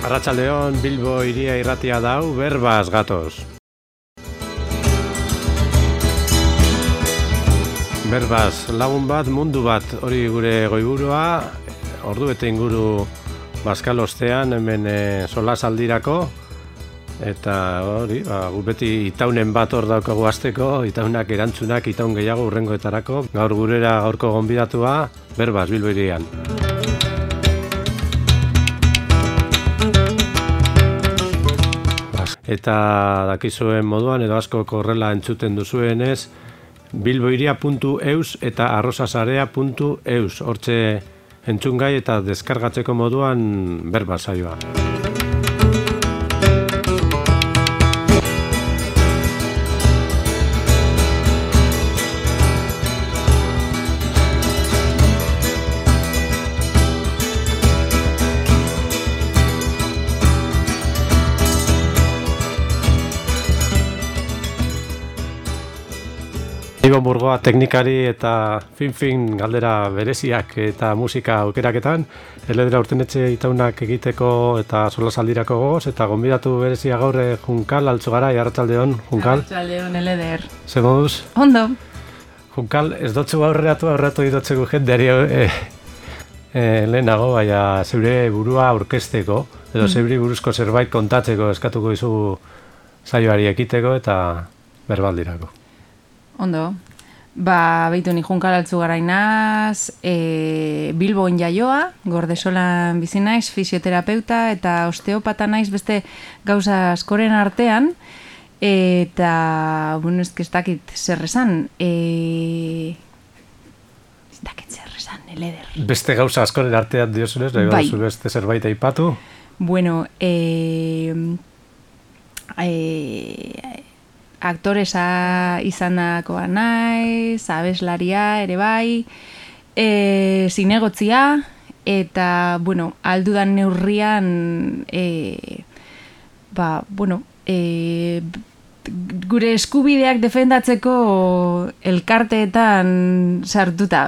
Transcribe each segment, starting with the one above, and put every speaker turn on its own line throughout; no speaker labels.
Arratsaldeon, Bilbo hiria irratia dau, berbaz gatoz. Berbaz, lagun bat, mundu bat, hori gure goiburua, ordu eta inguru Baskal ostean, hemen solasaldirako, eta hori, gu beti itaunen bat hor daukagu hasteko, itaunak erantzunak, itaun gehiago urrengoetarako, gaur gurera gaurko gonbidatua, Berbaz, Bilbo hirian. Eta dakizuen moduan, edo asko horrela entzuten duzuenez, bilbohiria.eus eta arrosasarea.eus, hortxe entzungai eta deskargatzeko moduan Berbaz saioa. Ibon Burgoa teknikari eta fin galdera bereziak eta musika aukeraketan, Eledera Urtenetxe itaunak egiteko eta solasaldirako gogoz, eta gonbidatu berezia gaur Junkal Altzugarai, arratsaldeon, Junkal.
Arratsaldeon, Eleder.
Ze moduz?
Ondo.
Junkal, ez dotzu aurreratu idotzeko jendeari lehenago, baina zeure burua aurkezteko, edo zeuri buruzko zerbait kontatzeko eskatuko izugu saioari ekiteko eta berbaldirako.
Ondo. Beitu ni Junkal Altzugarai naz, Bilbon jaioa, Gordesolan bizi naiz, fisioterapeuta eta osteopata naiz beste gauza askoren artean, eta, bueno, ez dakit zer esan, ez dakit zer esan, Eleder.
Beste gauza askoren artean diozunez, bai. Beste zerbait aipatu?
Bueno, aktoresa izandakoa naiz, abeslaria ere bai, zinegotzia, eta, bueno, aldudan neurrian, gure eskubideak defendatzeko elkarteetan sartuta,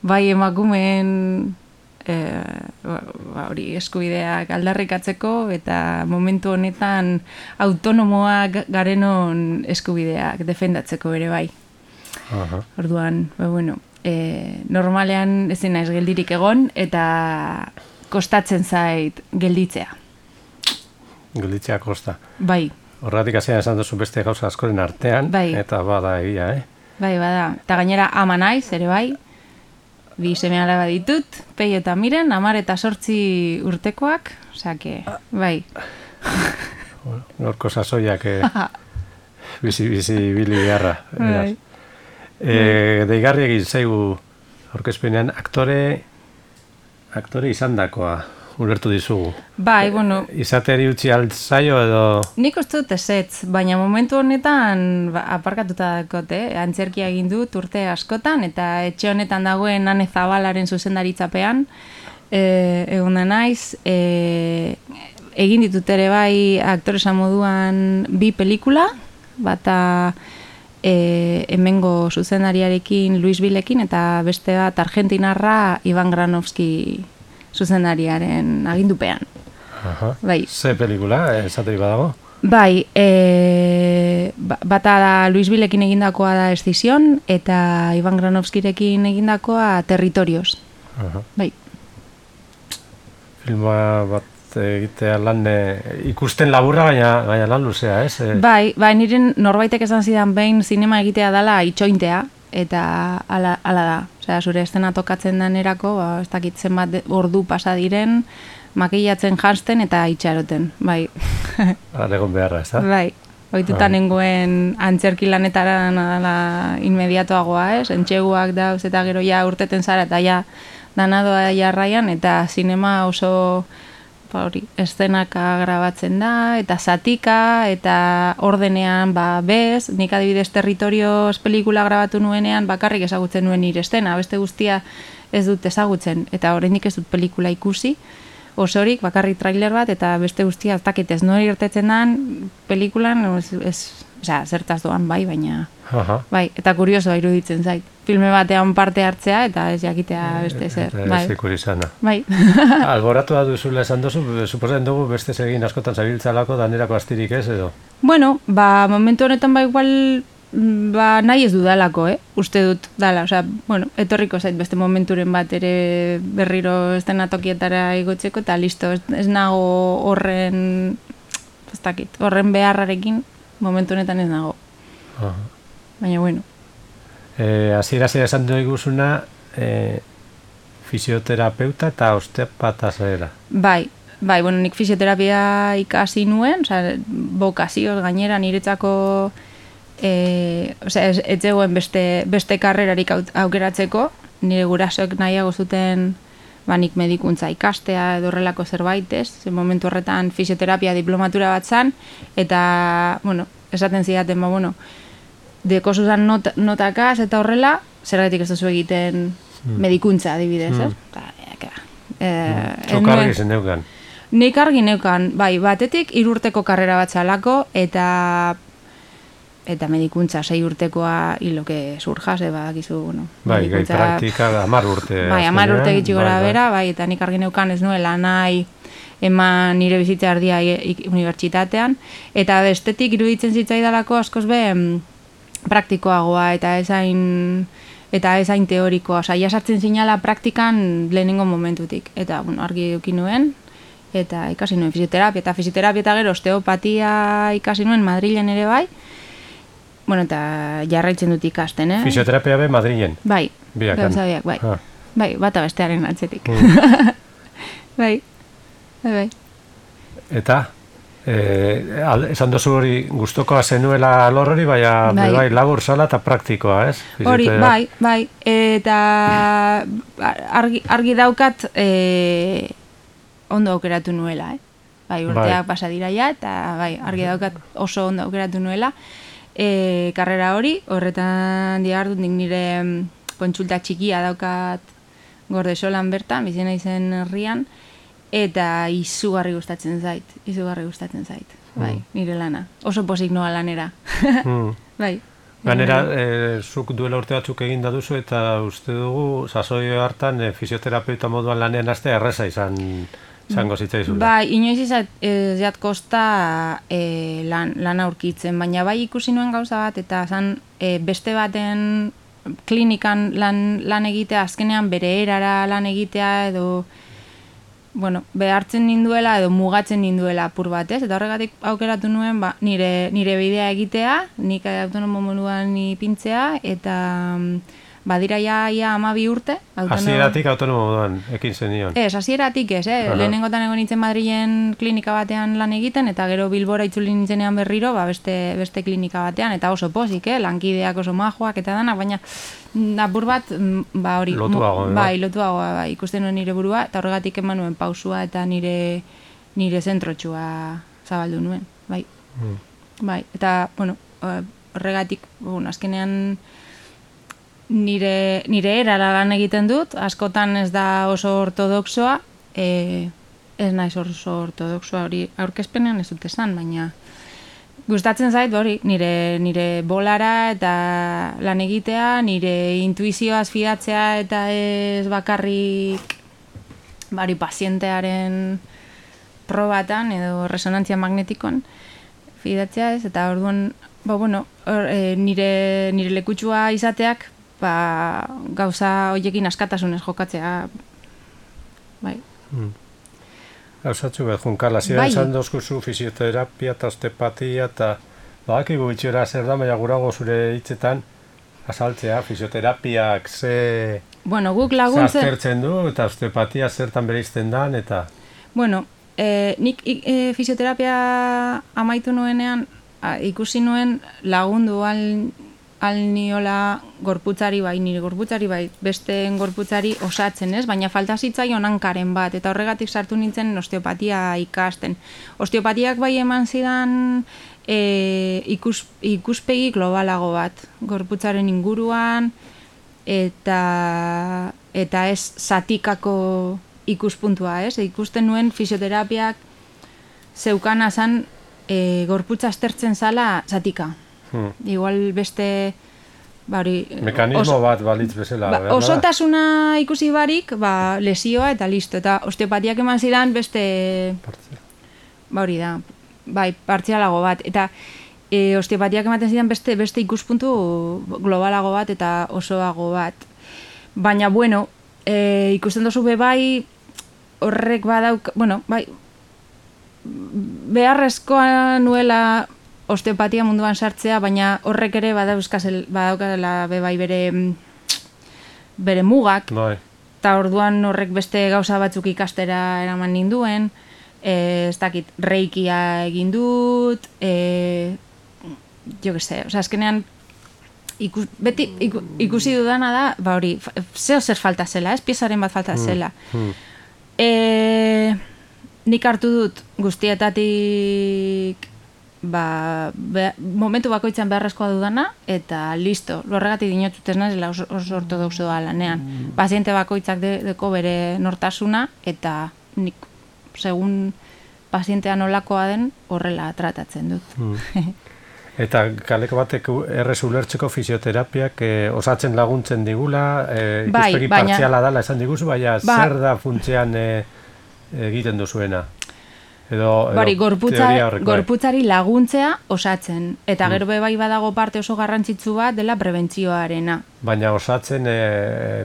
bai emakumeen hori eskubideak aldarrikatzeko eta momentu honetan autonomoak garenon eskubideak defendatzeko ere bai. Orduan, normalean ezin naiz geldirik egon eta kostatzen zait gelditzea.
Gelditzea kosta.
Bai.
Horratik hasean esan duzu beste gauza askoren artean, bai. Eta bada egia,
Bai, bada. Eta gainera ama naiz ere bai. 2 seme-alaba ditut, Peio eta Miren, 10 eta 8 urtekoak, osake, bai.
Norko sasoiak bizi bili beharra.
Bai.
Deigarri egin zaigu aurkezpenean aktore izandakoa ulertu dizugu.
Bai, bueno.
Izateri utzi altzaio edo...
Nik uste dut ezetz, baina momentu honetan aparkatuta dakote, antzerkia egin dut urte askotan, eta etxe honetan dagoen Ane Zabalaren zuzendaritzapean, egon da naiz, egin ditut ere bai aktoresa moduan 2 pelikula, bata hemengo zuzendariarekin Luis Bilekin, eta beste bat argentinarra Ivan Granovski zuzendariaren agindupean. Bai.
Ze pelikula, esateri badago?
Bai, bata da Luis Bilekin egindakoa da Escision, eta Ivan Granovskirekin egindakoa Territorios. Bai.
Filma bat egitea lan ikusten laburra, baina lan luzea, ez?
Bai, niren norbaitek esan zidan behin zinema egitea dela itxointea, eta ala da. Osea, zure estena tokatzen danerako, ez dakit zenbat ordu pasa diren, makillatzen janzten eta itxaroten, bai.
Egon beharra, ez da?
Bai, ohituta nengoen antzerki lanetaran dela inmediatoagoa, ez? Entxeguak dauz eta gero ja urteten zara eta ja danadoa jarraian, eta zinema oso eszenaka grabatzen da, eta zatika, eta ordenean bez, nik adibidez Territorios pelikula grabatu nuenean bakarrik ezagutzen nuen nire estena, beste guztia ez dut ezagutzen, eta oraindik ez dut pelikula ikusi, osorik, bakarrik trailer bat, eta beste guztia ez dakit ez nori irtetzen dan pelikulan, zertaz doan bai, baina bai, eta kuriosoa iruditzen zait. filme batean parte hartzea eta ez jakitea beste zer.
Ez ikur izana.
Bai.
Alboratu da duzula esan duzu, suposatzen dugu beste egin askotan zabiltzalako danerako astirik ez edo?
Bueno, momentu honetan igual nahi ez dudalako, uste dut dala, bueno, etorriko zait beste momenturen bat ere berriro estenatokietara igotzeko eta listo, ez nago horren horren beharrarekin momentu honetan ez nago. Baina, bueno.
Hasiera esan dugu iguzuna fisioterapeuta eta osteopata zera.
Bai, bueno, nik fisioterapia ikasi nuen, bokazioz gainera niretzako ez zegoen beste karrerarik aukeratzeko, nire gurasoek nahiago zuten nik medikuntza ikastea edo horrelako zerbait, momentu horretan fisioterapia diplomatura bat zan, eta, bueno, esaten zidaten, dekosuzan notakaz eta horrela, zergatik ez duzu egiten medikuntza adibidez,
Zuk argi zen neukan?
Nik argi neukan, batetik 3 urteko karrera bat zalako, eta medikuntza 6 urtekoa hiloke surjas, badakizu, bueno.
Gai praktika 10 urte.
10 urte gitxi gora bera, eta nik argi neukan ez nuela nahi eman nire bizitza erdia unibertsitatean, eta bestetik iruditzen zitzaidalako askoz praktikoagoa eta ez hain teorikoa, jasartzen zinala praktikan lehenengo momentutik, eta argi eduki nuen, eta ikasi nuen fisioterapia, eta gero osteopatia ikasi nuen Madrilen ere bai, bueno, eta jarraitzen dut ikasten,
Fisioterapia be Madrilen?
Bai, gauzabiak, bai, bata bestearen atzetik. Bai. Eta?
Esan dozu hori gustokoa zenuela alor hori, bai labur zala eta praktikoa, ez?
Hori, bai, eta argi daukat ondo aukeratu nuela, urteak pasa dira ja, eta argi daukat oso ondo aukeratu nuela karrera hori, horretan dihardut nik nire kontsulta txikia daukat Gordesolan bertan, bizena izen herrian, eta izugarri gustatzen zait, bai, nire lana. Oso pozik noa lanera. Bai.
Ganera, zuk duela urte batzuk egin da duzu, eta uste dugu, sasoi hartan, fisioterapeuta moduan lanean hastea erreza izango zitzaizula.
Bai, inoiz izat kosta lan aurkitzen, baina bai ikusi nuen gauza bat, eta zan beste baten klinikan lan egitea, azkenean bere erara lan egitea, edo bueno, behartzen ninduela edo mugatzen ninduela apur batez, eta horregatik aukeratu nuen nire bidea egitea, nik autonomo moduan ipintzea, eta badira ja 12 urte.
Hasieratik autonomo moduan ekin zenion?
Ez, hasieratik ez, lehenengotan egon nintzen Madrilen klinika batean lan egiten, eta gero Bilbora itzuli nintzenean berriro, beste klinika batean, eta oso pozik, lankideak oso majoak eta danak, baina apur bat, hori, lotuagoa, ikusten nuen nire burua, eta horregatik eman nuen pausua eta nire zentrotxua zabaldu nuen, bai. Eta, bueno, horregatik, azkenean nire erara lan egiten dut, askotan ez da oso ortodoxoa, ez naiz oso ortodoxoa hori aurkezpenean ez dut esan, baina gustatzen zait hori, nire bolara eta lan egitea, nire intuizioaz fidatzea eta ez bakarrik pazientearen probatan edo resonantzia magnetikon fidatzea ez, eta orduan, nire lekutsua izateak gauza horiekin askatasunez jokatzea, bai.
Gauzatxu behar junkala, ziren zan dozkuzu fisioterapia eta osteopatia eta badakigu itxera zer da, baina gurago zure hitzetan azaltzea, fisioterapia
guk laguntzen
aztertzen du eta osteopatia zertan bereizten dan, eta...
Bueno, nik fisioterapia amaitu nuenean ikusi nuen lagundu niola gorputzari bai, nire gorputzari bai, besteen gorputzari osatzen, ez? Baina falta zitzaion hankaren bat, eta horregatik sartu nintzen osteopatia ikasten. Osteopatiak bai eman zidan ikuspegi globalago bat, gorputzaren inguruan, eta ez zatikako ikuspuntua, ez? Ikusten nuen fisioterapiak zeukana gorputza aztertzen zala zatika. Igual beste
Mekanismo bat balitz bezala.
Osotasuna ikusi barik, lesioa eta listo. Eta osteopatiak eman zidan beste... hori da, partzialago bat. Eta osteopatiak ematen zidan beste ikuspuntu globalago bat eta osoago bat. Baina, bueno, ikusten dozu horrek badauk, beharrezkoa nuela osteopatia munduan sartzea, baina horrek ere badaukala bere mugak, eta orduan horrek beste gauza batzuk ikastera eraman ninduen, ez dakit, reikia egin dut, jo que se, azkenean beti ikusi dudana da, hori, zer falta zela, piezaren bat falta zela. Nik hartu dut guztietatik momentu bakoitzan beharrezkoa dudana, eta listo, horregatik dinotut ez nazela oso ortodoxo da lanean. Paziente bakoitzak deko bere nortasuna, eta nik, segun pazientea nolakoa den, horrela tratatzen dut.
Eta kaleko batek errez ulertzeko fisioterapiak osatzen laguntzen digula, ikuspegi partziala dala esan diguzu, baina zer da funtzean egiten duzuena?
Gorputzari laguntzea osatzen, eta gero bai badago parte oso garrantzitsu bat dela prebentzioarena.
Baina osatzen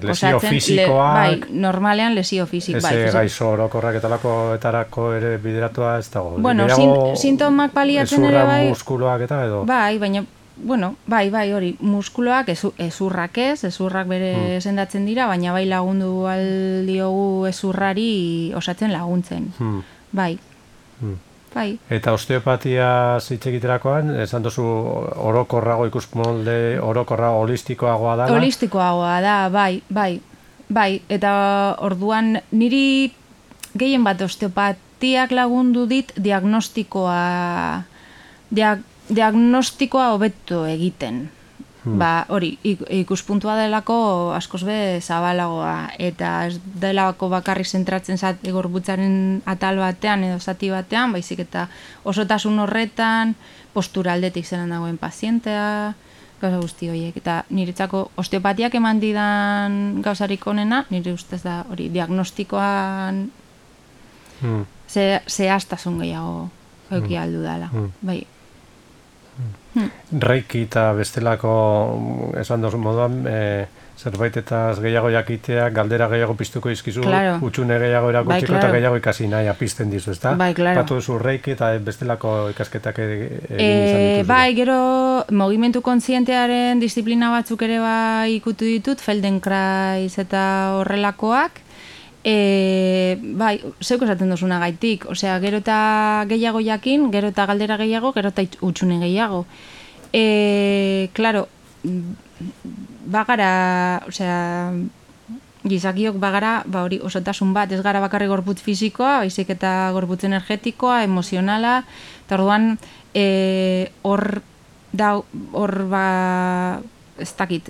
lesio fisikoak...
Bai, normalean lesio fisik.
Ez gaizo orokorrak etarako ere bideratua ez dago.
Bueno, sintomak paliatzen ere bai...
Ezurra muskuloak eta edo?
Bai, baina... Bueno, bai, hori, muskuloak ezurrak ezurrak bere sendatzen dira, baina bai lagundu aldiogu ezurrari osatzen laguntzen. Bai.
Eta osteopatia zitzegiterakoan, esan duzu orokorrago ikusmolde, orokorrago holistikoagoa da?
Holistikoagoa da, bai. Eta orduan niri gehien bat osteopatiak lagundu dit diagnostikoa hobeto egiten. Hori, ikuspuntua delako askoz be zabalagoa, eta ez delako bakarrik zentratzen gorputzaren atal batean edo zati batean, baizik eta osotasun horretan, postura aldetik zelan dagoen pazientea, gauza guzti horiek. Eta niretzako osteopatiak eman didan gauzarik onena, nire ustez da hori, diagnostikoan zehaztasun gehiago euki aldu dela, bai.
Reiki eta bestelako esan dozun moduan zerbaitetaz gehiago jakitea, galdera gehiago piztuko izkizu, utxune gehiago erakutsiko eta gehiago ikasi nahi apizten dizu, ezta?
Bai, klaro.
Patu duzu Reiki eta bestelako ikasketak egin izan dituzu.
Bai, gero mugimendu kontzientearen disiplina batzuk ere bai ikutu ditut, Feldenkrais eta horrelakoak. Bai, zeuk esaten duzuna gaitik, osea, gero eta gehiago jakin, gero eta galdera gehiago, gero eta utxune gehiago. Claro, bagara, osea, gizakiok bagara, hori osotasun bat, ez gara bakarri gorputz fisikoa, baizik eta gorputz energetikoa, emozionala, eta orduan hor ez dakit,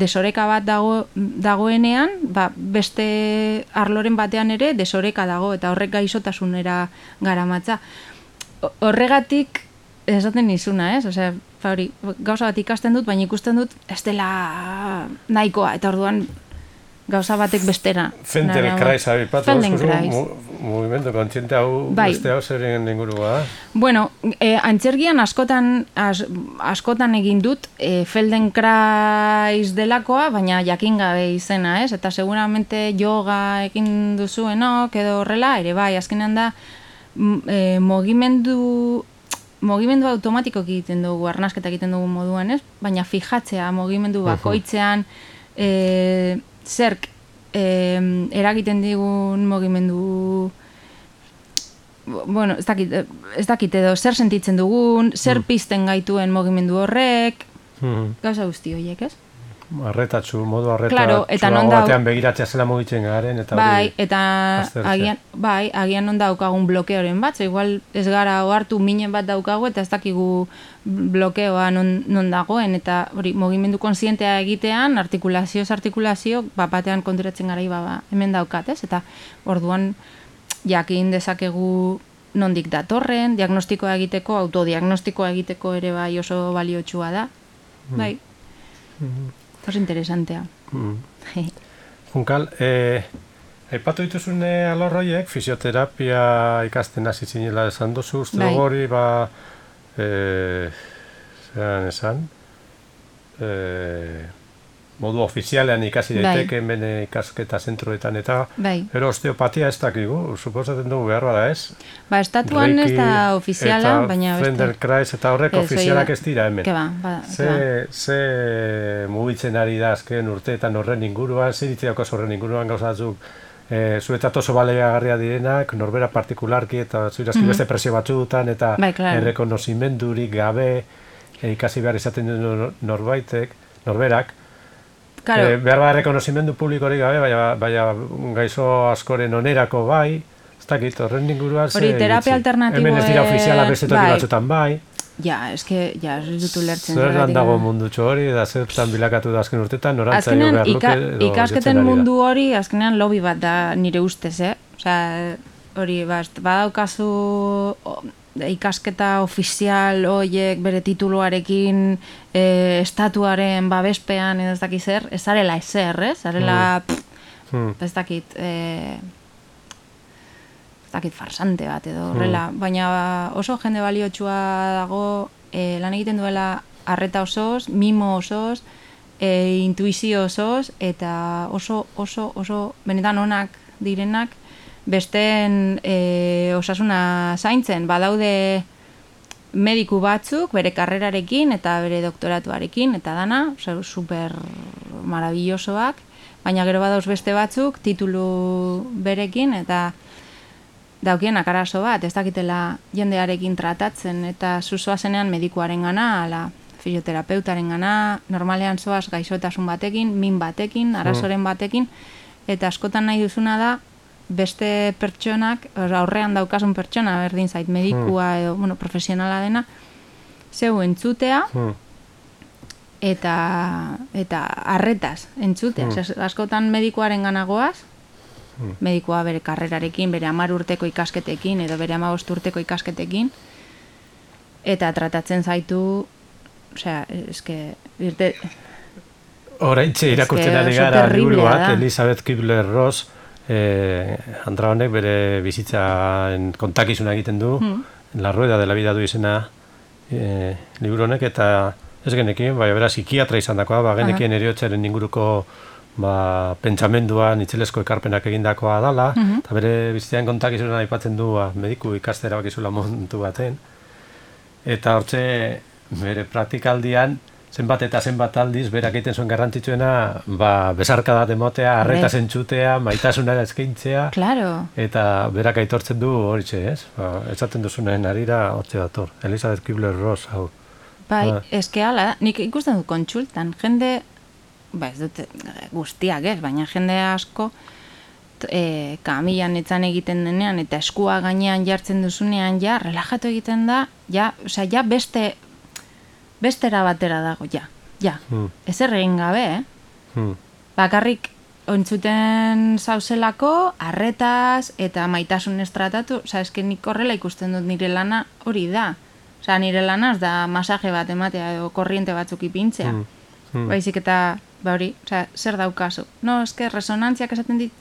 desoreka bat dagoenean, beste arloren batean ere desoreka dago, eta horrek gaixotasunera garamatza. Horregatik, esaten nizuna, ez? Osea, hori, gauza bat ikasten dut, baina ikusten dut, ez dela nahikoa, eta orduan gauza batek bestera.
Feldenkrais abipatu, mugimendu kontziente hau beste hau zeren ingurua.
Bueno, antzergian askotan egin dut Feldenkrais delakoa, baina jakin gabe izena, ez? Eta seguramente yoga egin duzuenok edo horrela, ere bai, azkenean da mugimendu automatiko egiten dugu, arnasketa egiten dugu moduan, ez? Baina fijatzea mugimendu bakoitzean zerk eragiten digun mugimendu, bueno, ez dakit edo zer sentitzen dugun, zer pizten gaituen mugimendu horrek, gauza guzti horiek, ez?
Modu arretatxu batean begiratzea zela mugitzen garen, eta
bai, eta agian non daukagun blokeoren bat, igual ez gara ohartu minen bat daukagu, eta ez dakigu blokeoa non dagoen, eta hori, mugimendu kontzientea egitean, artikulazio, batean konturatzen gara, hemen daukat, ez? Eta orduan jakin dezakegu nondik datorren, diagnostikoa egiteko, autodiagnostikoa egiteko ere bai oso baliotsua da, bai. Oso interesantea.
Junkal, aipatu dituzun alorroiek, fisioterapia ikasten hasi zinela esan duzu, uste hori, zeran esan, modu ofizialean ikasi daiteke hemen ikasketa zentroetan eta ero osteopatia ez dakigu, suposatzen dugu behar bada ez?
Estatuan ez da ofiziala, baina
beste. Eta Feldenkrais eta horrek ofizialak ez dira hemen.
Ze
mugitzen ari da azken urteetan horren inguruan, zer ditziako horren inguruan gauzatzuk zuetat oso baleagarria direnak, norbera partikularki eta zuirazki beste presio batzuetan eta errekonozimendurik gabe ikasi behar izaten du norberak. Behar bat rekonozimendu publikorik gabe, baina gaizo askoren onerako bai, ez dakit, horren inguruan
hori terapia alternatiboa
hemen ez dira ofiziala beste toki batzutan bai.
Ez dut ulertzen.
Zer lan dago mundutxo hori, da zertan bilakatu da azken urtetan, norantzaio behar luke.
Ikasketen mundu hori, azkenean lobby bat da nire ustez, hori, badaukazu ikasketa ofizial horiek bere tituluarekin estatuaren babespean edo ez dakit zer, ez zarela ezer, zarela ez dakit farsante bat edo horrela, baina oso jende baliotsua dago lan egiten duela arreta osoz, mimo osoz, intuizio osoz eta oso benetan onak direnak besteen osasuna zaintzen, badaude mediku batzuk bere karrerarekin eta bere doktoratuarekin eta dana, super maravillosoak, baina gero badauz beste batzuk titulu berekin eta daukienak arazo bat, ez dakitela jendearekin tratatzen eta zuzoazenean medikuaren gana, ala fisioterapeutaren gana, normalean zoaz gaixotasun batekin, min batekin, arazoren batekin, eta askotan nahi duzuna da beste pertsonak, aurrean daukasun pertsona, berdin zait, medikua edo, profesionala dena, zeu entzutea, eta arretaz entzutea. Askotan medikuaren ganagoaz, medikua bere karrerarekin, bere 10 urteko ikasketekin, edo bere 15 urteko ikasketekin, eta tratatzen zaitu,
Horaintxe irakurtzen ari gara liburu bat, Elizabeth Kubler-Ross, Andra honek bere bizitzaren kontakizuna egiten du, La Rueda de la Vida du izena liburu honek, eta ez genekin, bera psikiatra izan dakoa, genekien eriotzaren inguruko pentsamenduan itzelesko ekarpenak egindakoa dala, eta bere bizitzaren kontakizuna aipatzen du mediku ikastera bakizula montu baten, eta hortze bere praktikaldian zenbat eta zenbat aldiz, berak egiten zuen garrantzitsuena, besarkada demotea, arretaz entzutea, maitasuna eskaintzea, eta berak aitortzen du horitxe, ez? Esaten duzunen arira, hortxe dator. Elizabeth Kubler-Ross, hau.
Bai, eske hala, nik ikusten dut kontsultan, jende, ez dut guztiak ez, baina jende asko, kamilan etzan egiten denean, eta eskua gainean jartzen duzunean, relajatu egiten da, bestera batera dago, ezer egin gabe, bakarrik ontzuten zauzelako, arretaz eta maitasun estratatu, nik horrela ikusten dut nire lana hori da. Nire lanaz da masaje bat ematea edo korriente batzuk ipintzea. Baizik eta, hori, zer daukazu? No, resonantziak esaten dit,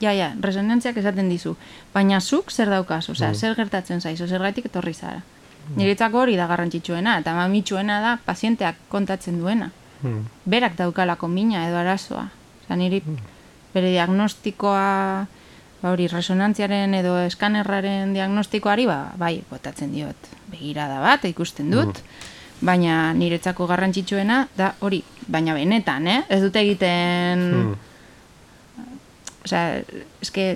resonantziak esaten dizu, baina zuk zer daukazu, zer gertatzen zaizu, zer gaitik etorri zara. Niretzako hori da garrantzitsuena, eta mamitsuena da pazienteak kontatzen duena. Berak daukalako mina edo arazoa. Niri bere diagnostikoa, hori, resonantziaren edo eskanerraren diagnostikoari, bai, botatzen diot begirada bat, ikusten dut, baina niretzako garrantzitsuena da hori, baina benetan, ez dut egiten...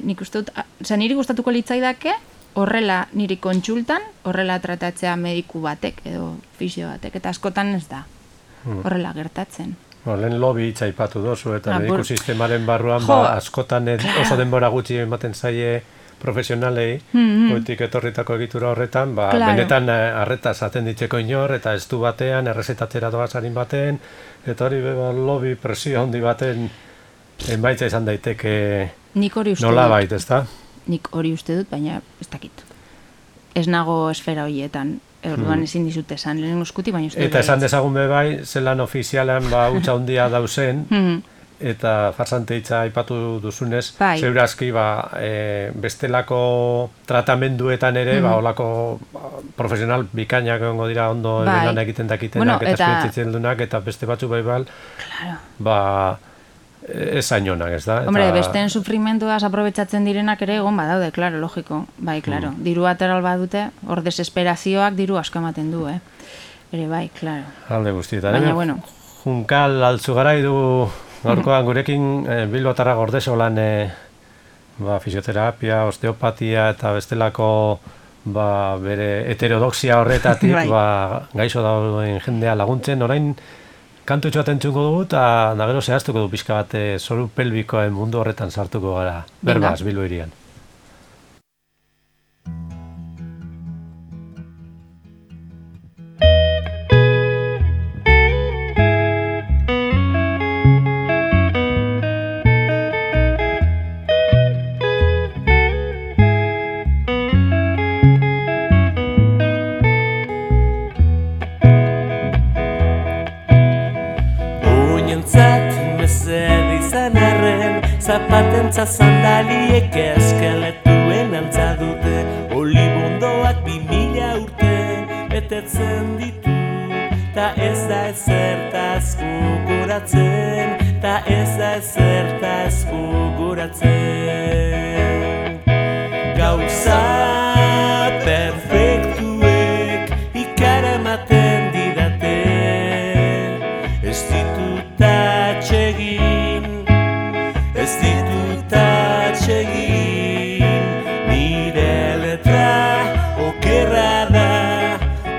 nik uste dut, niri gustatuko litzaidake, horrela niri kontsultan, horrela tratatzea mediku batek edo fisio batek, eta askotan ez da horrela gertatzen.
Lehen lobby hitza aipatu dozu, eta mediku sistemaren barruan askotan oso denbora gutxi ematen zaie profesionalei, goitik etorritako egitura horretan, benetan arretaz atenditzeko inor, eta ez du batean, errezetatera doazarin baten, eta hori lobby presio handi baten emaitza izan daiteke nola bait, ez da?
Nik hori uste dut, baina ez dakit. Ez nago esfera horietan. orduan ezin dizut esan, lehen eskuti, baina uste.
Eta esan dezagun bai, zelan ofizialan utza handia dauzen, eta farsante hitza aipatu duzunez, zeurazki bestelako tratamenduetan ere, olako profesional bikainak egongo dira ondo lan egiten dakitenak eta esperientzitzen dunak, eta beste batzu ez ainonak, ez da?
Hombre, besteen sufrimentuaz aprobetxatzen direnak ere egon badaude, klaro, logiko. Bai, klaro. Diru ateral badute, hor desesperazioak diru asko ematen du, Ere, bai, klaro.
Alde guztietan. Baina, bueno. Junkal Altzugarai du gaurkoan gurekin Bilbotarra Gordesolan fisioterapia, osteopatia eta bestelako bere heterodoxia horretatik gaixo dauden jendea laguntzen. Orain kantu itxoat entzuko dugu eta gero zehaztuko du pixka bat zoru pelbikoen mundu horretan sartuko gara. Berbaz, Bilbo hirian.
Zapatentza sandaliek eskeletuen antza dute, olibondoak 2000 urte betetzen ditu, ta ez da ezertaz gogoratzen, ta ez da ezertaz gogoratzen. Gauza perfektuek ikaramaten didate, ez ditut atsegin, ez ditut atsegin, nire letra okerra da,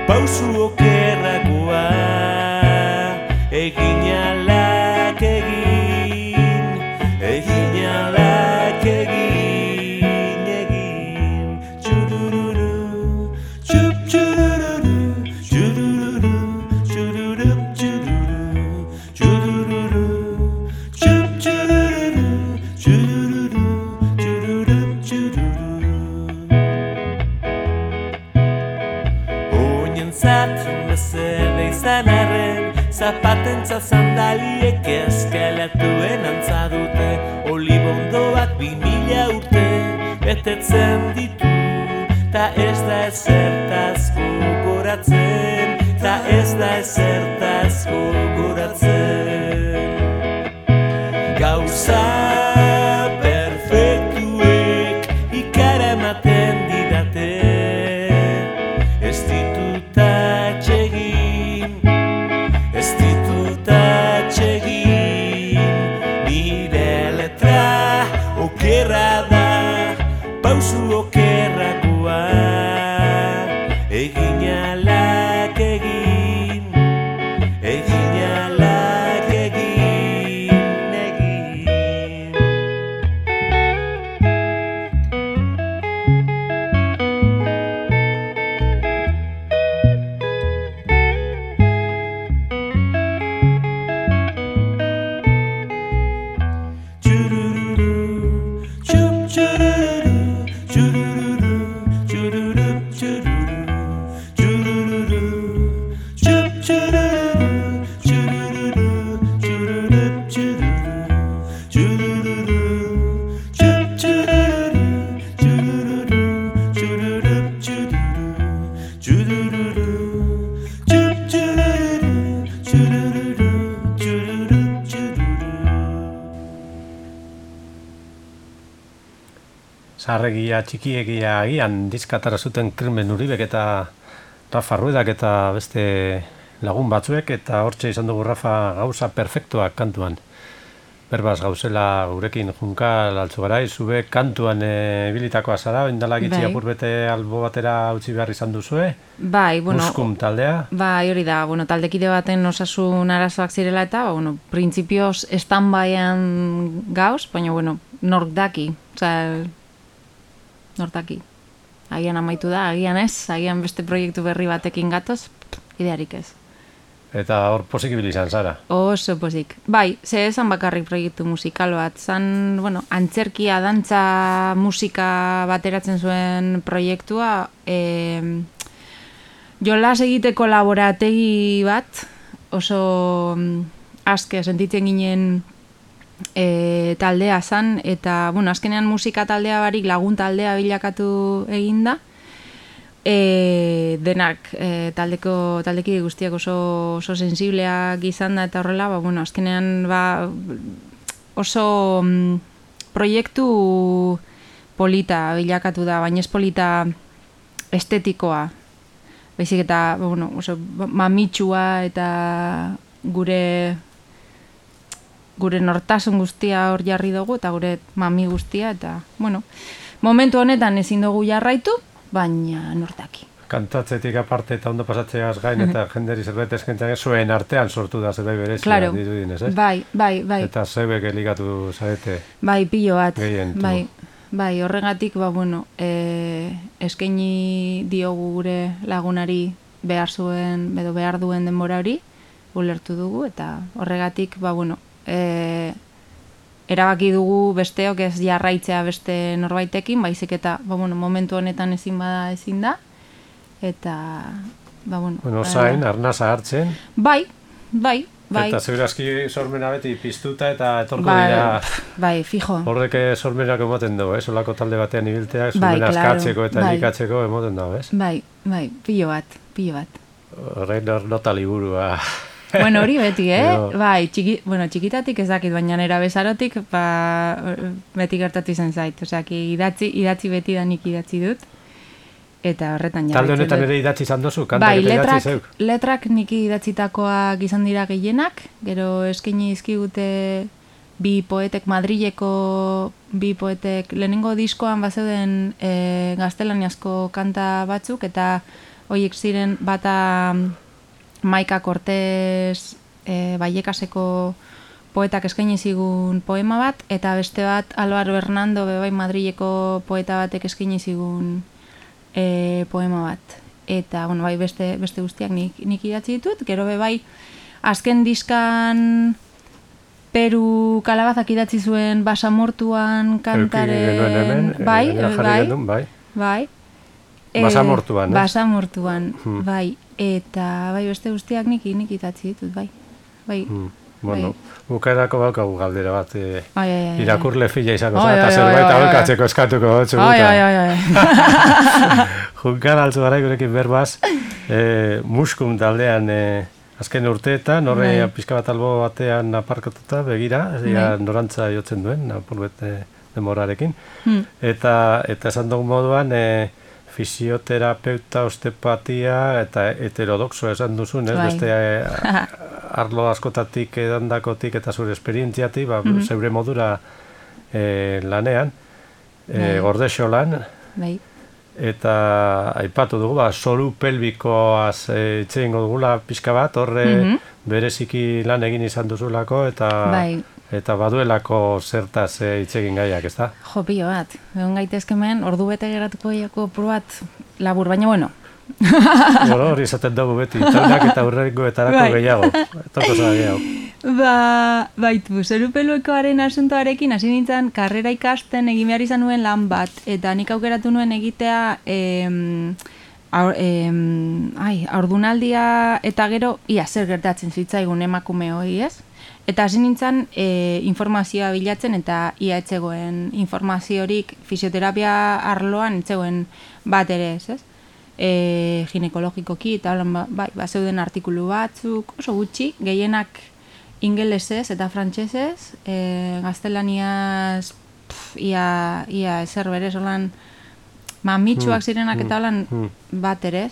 pausu okerrakoa, egin alak egin, egin alak egin, txurururu, txup txurururu, txurururu, txururup txururu, txurururu, txup txururu, txurururu, txururup txururu. Oinentzat mesede izan arren, zapatentza sandaliek eskeletuen antza dute, olibondoak 2000 urte betetzen ditu, ta ez da ezertaz gogoratzen, ta ez da ezertaz gogoratzen. Gauza perfektuek ikaramaten didate, ez ditut atsegin, ez ditut atsegin, nire letra okerra da, pausu okerrakoa, egin alak egin, egin alak egin, egin. Txurururu, txup txurururu, txurururu, txururup txururu, txurururu, txup txurururu, txurururu, txururup txururu, txurururu, txup txurururu, txurururu, txururup txururu, txurururu, txup txurururu, txurururu, txururup txururu.
Zaharregia, txikiegia agian dizkatara zuten Krimen Uribek eta Rafa Ruedak eta beste lagun batzuek, eta hortxe izan dugu Rafa gauza perfektuak kantuan. Berbaz gauzela gurekin Junkal Altzugarai, zube kantuan bilitakoa zara, indala gitzi apur bete albo batera utzi behar izan duzue.
Bai, bueno,
Muskum taldea.
bai, hori da, taldekide baten osasun arazoak zirela eta, printzipioz stand-byan gauz, baina, nork daki, nork daki. Agian amaitu da, agian ez, agian beste proiektu berri batekin gatoz, idearik ez.
Eta hor posik ibili izan zara.
Oso posik. Bai, ze esan bakarrik proiektu musikal bat. Zan, antzerkia, dantza, musika bateratzen zuen proiektua, jolas egiteko laborategi bat, oso aske sentitzen ginen taldea zan, eta, bueno, azkenean musika taldea barik lagun taldea bilakatu eginda, denak taldeki guztiak oso sensibleak izan da eta horrela, bueno, azkenean oso proiektu polita bilakatu da, baina ez polita estetikoa. Baizik eta, bueno, oso mamitsua eta gure nortasun guztia hor jarri dugu eta gure mami guztia eta, bueno, momentu honetan ezin dugu jarraitu, baina nortaki.
Kantatzetik aparte eta ondo pasatzeaz gain eta jenderi zerbait eskaintzen zuen artean sortu da zerbait berezia,
claro.
Dirudinez, ez?
Bai.
Eta zebek eligatu zarete.
Bai, pilo bat.
Gehientu.
Bai, horregatik, bueno, eskaini diogu gure lagunari behar duen denbora hori, ulertu dugu, eta horregatik, bueno, erabaki dugu besteok ez jarraitzea beste norbaitekin, baizik eta, bueno, momentu honetan ezin da, eta, bueno...
Bueno, zain, arnasa hartzen.
Bai.
Eta segurazki sormena beti piztuta eta etorko dira...
Bai, fijo.
Horrek sormenak emoten dugu, solako talde batean ibiltea, sormena askatzeko eta elikatzeko emoten dugu, ez?
Bai, pilo bat.
Horrein nota liburua...
Bueno, hori beti, Bai, txikitatik ez dakit, baina nera bezarotik beti gertatu izan zait. Osea, idatzi beti da nik idatzi dut. Eta horretan jarraitzen dut. Talde honetan
ere idatzi izan dozu? Bai,
letrak nik idatzitakoak izan dira gehienak, gero eskaini dizkigute bi poetek, Madrileko bi poetek, lehenengo diskoan bazeuden gaztelaniazko kanta batzuk, eta horiek ziren bata Maika Cortez Vallecaseko poetak eskaini zigun poema bat, eta beste bat Álvaro Hernando bebai Madrileko poeta batek eskaini zigun poema bat. Eta, bueno, bai, beste guztiak nik idatzi ditut, gero bebai azken diskan Peru Kalabazak idatzi zuen Basamortuan kantaren... Bai.
Basamortuan,
Basamortuan, bai. Eta, bai, beste guztiak nik idatzi ditut, bai.
Bueno, bukaerako baukagu galdera bat,
bai.
irakurle fila izango zara, eta zerbait aholkatzeko eskatuko dutzu guta. Junkar altzu gara gurekin berbaz, Muskum taldean azken urteetan, horre pizka bat albo batean aparkatuta, begira, norantza jotzen duen, apurbet demorarekin. Eta esan dugu moduan, fisioterapeuta, osteopatia eta heterodoxo esan duzun, ez? Beste arlo askotatik edandakotik eta zure esperientziatik, zeure modura lanean, Gordexolan, eta aipatu dugu, zoru pelbikoaz itxeingo dugula pixka bat, horre bereziki lan egin izan duzulako, eta baduelako zertaz itxegin gaiak, ez da?
Jo, pilo bat. Egon gaitezkemen, ordu bete geratuko iako pur bat labur, baina bueno.
Hori izaten dugu beti, taunak eta hurrengoetarako gehiago. Toko zara gehiago.
Baitu, zoru peluekoaren asuntoarekin hasi nintzen karrera ikasten egin behar izan nuen lan bat, eta nik aukeratu nuen egitea ordunaldia eta gero ia zer gertatzen zitzaigun emakume hori, ez? Eta hasi nintzen informazioa bilatzen eta ia etzegoen informaziorik fisioterapia arloan etzegoen bat ere, ez? Ginekologikoki eta zeuden artikulu batzuk, oso gutxi, gehienak ingelesez eta frantsesez, gaztelaniaz ia ezer berez, holan mamitsuak zirenak eta holan bat ere,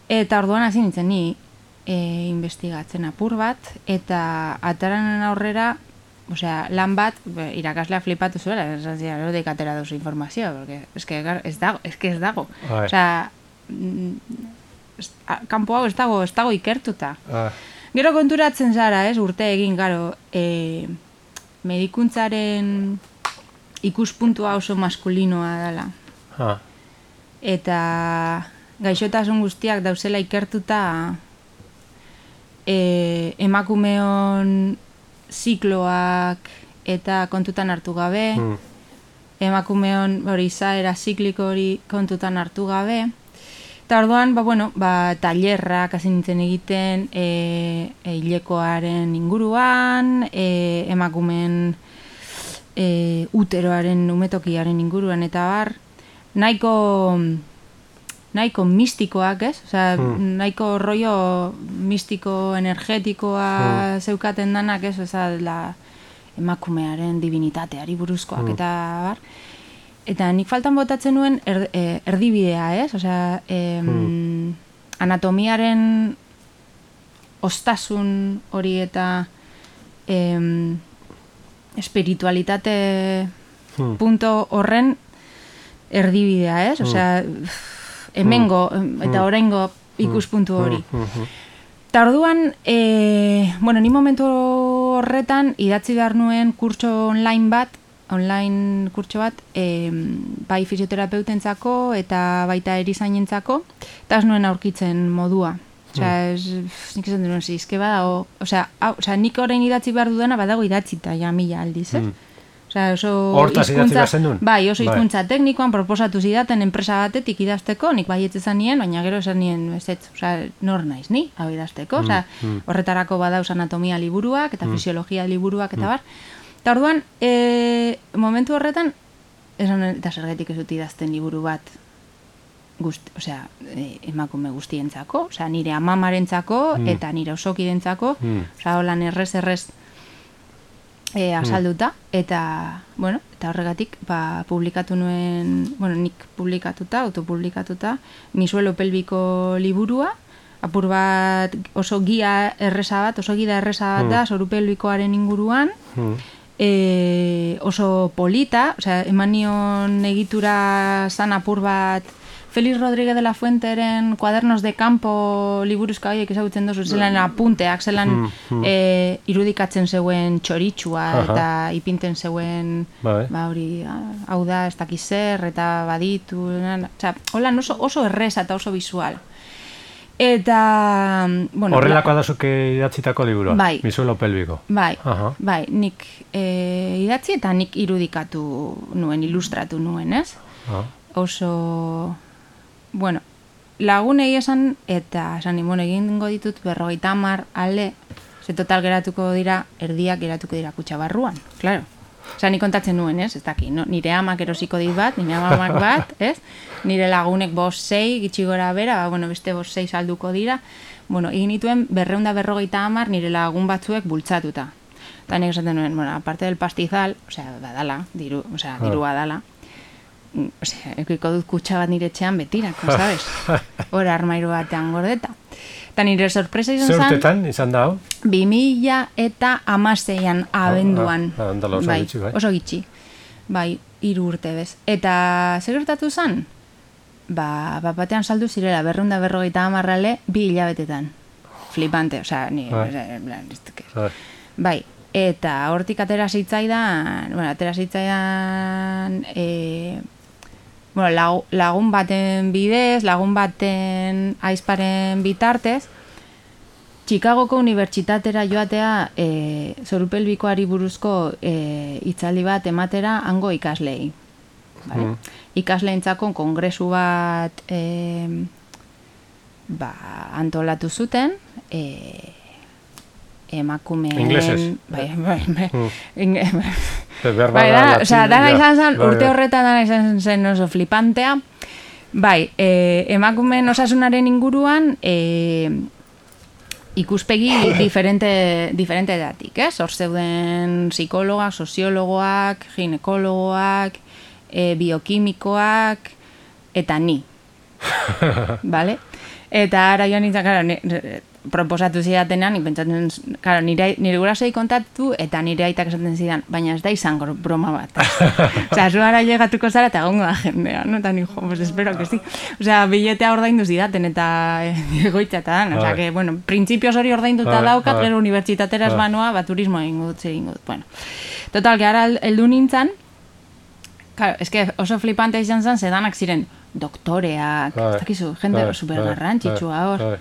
eta orduan hasi nintzen ni investigatzen apur bat, eta ataranen aurrera, osea, lan bat, irakaslea flipatu zuela, erotik atera duzu informazioa, porque ez dago. Osea, kanpo hau ez dago ikertuta. Gero konturatzen zara, urte egin, garo, medikuntzaren ikuspuntua oso maskulinoa dela. Eta gaixotasun guztiak dauzela ikertuta emakumeon zikloak eta kontutan hartu gabe, emakumeon izaera zikliko hori kontutan hartu gabe, Eta orduan, tailerrak hasi nintzen egiten hilekoaren inguruan, emakumeen uteroaren umetokiaren inguruan eta bar, nahiko mistikoak, ez? Osea, nahiko rollo mistiko energetikoa zeukaten danak, ez? Osea, emakumearen divinitateari buruzkoak eta bar. Eta nik faltan botatzen nuen erdibidea, ez? Osea, anatomiaren ostasun hori eta espiritualitate punto horren erdibidea, ez? Osea, hemengo eta oraingo ikuspuntu hori. Eta orduan, ni momentu horretan idatzi behar nuen online kurtso bat, bai fisioterapeutentzako eta baita erizainentzako, eta ez nuen aurkitzen modua. Osea, nik esan duen zizke badago, osea, nik orain idatzi behar dudana badago idatzita, ja mila aldiz, ez? Osea,
hortaz idatzi behar zen duen?
Bai, oso hizkuntza teknikoan proposatu zidaten enpresa batetik idazteko, nik baietz esan nien, baina gero esan nien, osea, nor naiz ni, hau idazteko, osea, horretarako badauz anatomia liburuak eta fisiologia liburuak eta bar. Eta orduan, momentu horretan, esan eta zergatik ez dut idazten liburu bat, osea, emakume guztientzako, osea, nire amamarentzako eta nire osokidentzako, osea, holan errez azalduta, eta, eta horregatik, publikatu nuen, nik publikatuta, autopublikatuta, Mi suelo pelbiko liburua, apur bat oso gida erreza bat da, zoru pelbikoaren inguruan, oso polita, osea, eman nion egitura zan apur bat Félix Rodríguez de la Fuenteren Cuadernos de Campo liburuzka horiek ezagutzen dozu, zelan apunteak, zelan irudikatzen zeuen txoritsua eta ipinten zeuen hori, hau da, ez dakiz zer, eta baditu, holan oso erreza eta oso visual. Eta,
horrelakoa da zuke idatzitako liburua?
Bai.
Mi suelo pelbiko?
Bai, nik idatzi eta nik irudikatu nuen, ilustratu nuen, ez? Oso, lagunei esan, eta esan egingo ditut 50 ale, ze total geratuko dira, erdiak geratuko dira kutxa barruan, claro. Osa, nik kontatzen nuen, ez? Ez daki, nire amak erosiko dit bat, nire amak bat, ez? Nire lagunek 5-6, gitxi gora bera, beste 5-6 salduko dira. Egin nituen 250 nire lagun batzuek bultzatuta. Eta nik esaten nuen, aparte del pastizal, osea, badala, dirua dala, osea, ekiko dut kutxa bat nire etxean betirako, sabes? Hora armairu batean gordeta. Eta nire sorpresa izan zen...
Zer urtetan izan da, hau?
2016an abenduan.
Oso gitxi, bai.
Oso gitxi. Bai, 3 urte bez. Eta zer gertatu zen? Batean saldu zirela 250 ale 2 hilabetetan. Flipante, osea, ni... Bai, eta hortik atera zitzaidan... lagun baten bidez, lagun baten aizparen bitartez, Chicagoko unibertsitatera joatea zorupelbikoari buruzko hitzaldi bat ematera hango ikaslei. Ikasleentzako kongresu bat antolatu zuten, emakumeen...
Inglesez?
Bai, dana izan zen, urte horretan dana izan zen oso flipantea. Bai, emakumeen osasunaren inguruan ikuspegi diferente datik, ez? Hor zeuden psikologak, soziologoak, ginekologoak, biokimikoak, eta ni. Bale? Eta ara joan nintzen, proposatu zidatenean, pentsatzen, nire gurasoi kontatu eta nire aitak esaten zidan, baina ez da izango broma bat. Osea, zu ara llegatuko zara eta gongo da jendea, no? Eta ni, pues espero que sí. Osea, biletea ordaindu zidaten eta egoitza eta dan. Osea, que, printzipioz hori ordainduta daukat, gero unibertsitatera ez banoa, turismoa egingo dut. Bueno, total, que ara heldu nintzen, claro, es que oso flipante izan zen, zedanak ziren doktoreak, ez dakizu, jende supergarrantzitsua hor.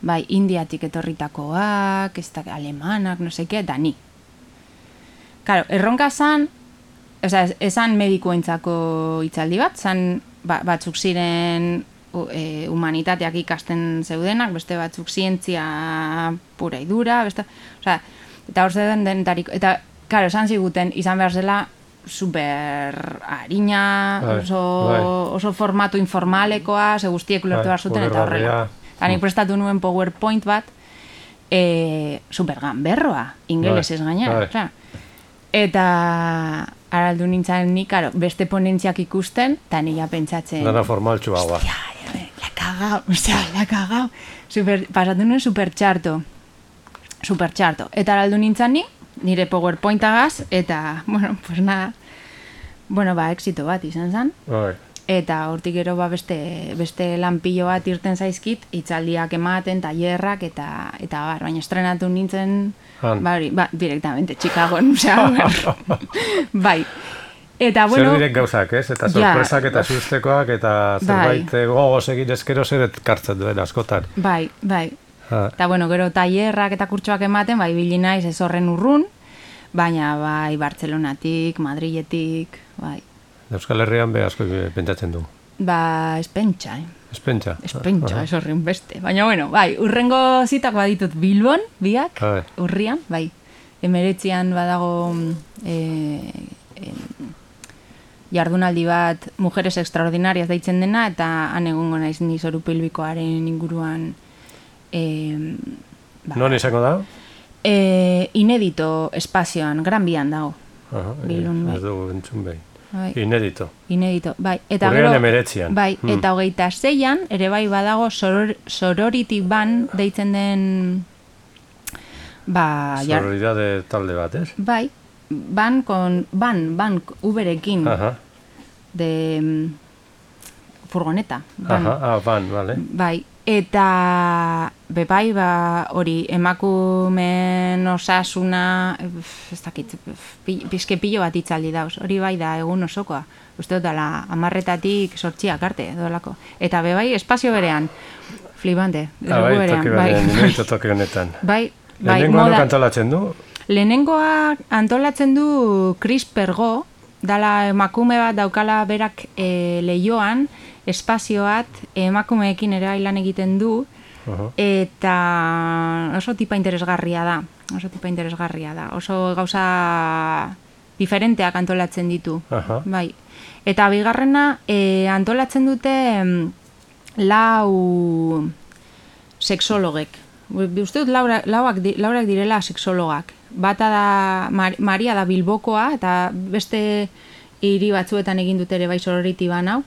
Bai, Indiatik etorritakoak, alemanak, no seke, eta ni. Claro, erronka zan, esan medikuentzako hitzaldi bat, zan batzuk ziren humanitateak ikasten zeudenak, beste batzuk zientzia pura idura, osea, eta hor zeuden denetarik, eta, claro, esan ziguten, izan behar zela, super harina, oso formatu informalekoa, ze guztiek ulertu behar zuten, eta horrela. Eta nik prestatu nuen PowerPoint bat, super ganberroa, ingelesez gainera. Eta araldu nintzen nik, beste ponentziak ikusten, eta nila pentsatzen...
Dana formaltxua hau.
La cagau. Pasatu nuen super txarto. Eta araldu nintzen ni, nire PowerPointagaz, eta, bueno, pues nada, exito bat izan zen. Eta hortik gero beste lanpillo bat irten zaizkit, hitzaldiak ematen, tailerrak, eta baina estrenatu nintzen, directamente, Chicagon, bai. Eta, bueno...
Zer direk gauzak, ez? Eta sorpresak eta sustekoak, eta zerbait gogoz egin ezkero zer kartzen duen askotan.
Bai. Eta, bueno, gero tailerrak eta kurtsoak ematen, bili naiz ez horren urrun, baina bai Bartzelonatik, Madriletik, bai.
Euskal Herrian asko pentsatzen du.
Espentsa,
Espentsa,
ez horren beste. Baina, bueno, bai, urrengo zitak baditut Bilbon, biak, urrian, bai. 19an badago jardunaldi bat Mujeres Extraordinarias deitzen dena, eta han egongo naiz ni zoru pelbikoaren inguruan.
Non izango da?
Inedito espazioan, Gran Bian dago. Bilbon, bai.
Ez dugu entzun behin. Inedito,
bai. Eta
urrian 19an.
Bai, eta 26an, ere bai badago sorority ban deitzen den...
Sororidade talde bat, ez?
Bai, ban uberekin de furgoneta.
Ban, vale.
Bai, eta bebai, hori, emakumen osasuna, ez dakit, pizke pilo bat itzaldi dauz, hori bai da egun osokoa. Uste dut dala, 10-tatik 8 arte, dolako. Eta bebai, espazio berean, flipante.
Toki honetan.
Bai,
lehenengoa nok antolatzen du?
Lehenengoa antolatzen du Chris Pergo, dala emakume bat daukala berak lehioan, espazioat emakumeekin ere lan egiten du, eta oso tipa interesgarria da. Oso gauza diferenteak antolatzen ditu. Bai. Eta bigarrena antolatzen dute 4 sexologek. Uste dut laurak direla sexologak. Bata da Maria da Bilbokoa, eta beste hiri batzuetan egin dute ere bai sorority ban hau.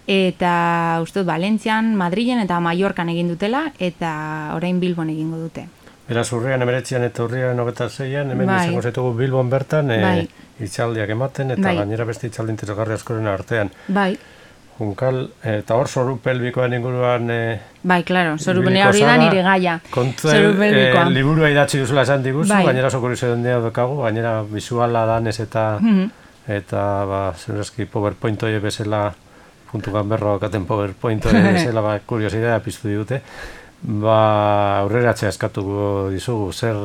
Eta uste dut Valentzian, Madrilen eta Mallorcan egin dutela, eta orain Bilbon egingo dute.
Beraz, urrian 19an eta urrian 26an, hemen izango zaitugu Bilbon bertan, hitzaldiak ematen, eta gainera beste hitzaldi interesgarri askoren artean.
Bai.
Junkal, eta hor zoru pelbikoan inguruan...
Bai, klaro, zoru pelbikoa hori da nire gaia.
Kontuen, liburua idatzi duzula esan diguzu, gainera sokorizio den dira dokagu, gainera visuala danez eta zenurazki PowerPoint hori bezala, puntu ganberro okaten PowerPoint hori bezala, kuriosidea piztu digute. Aurreratzea eskatuko dizugu, zer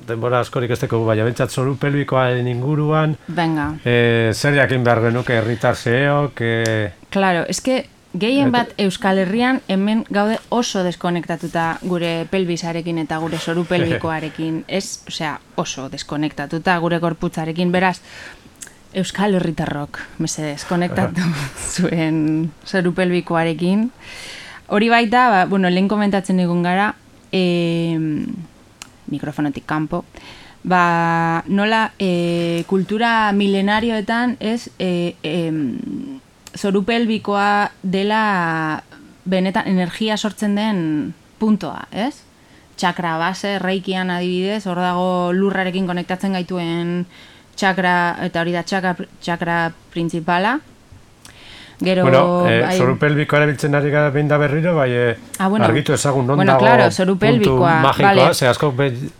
denbora askorik ez teko, baina bentsat zoru pelbikoaren inguruan, zer jakin behar genuke herritar zeok...
Claro, eske gehien bat Euskal Herrian hemen gaude oso deskonektatuta gure pelbisarekin eta gure zoru pelbikoarekin, oso deskonektatuta gure gorputzarekin, beraz, Euskal Herritarrok, mesedez, konektatu zuen zoru pelbikoarekin. Hori baita, lehen komentatzen egon gara, mikrofonotik kanpo, nola kultura milenarioetan zoru pelbikoa dela benetan energia sortzen den puntoa, ez? Txakra base, reikian adibidez, hor dago lurrarekin konektatzen gaituen txakra, eta hori da txakra principala. Gero,
zoru pelbikoa erabiltzen ari gara behin da berriro, argitu ezagun non dago
puntu
magikoa, ze asko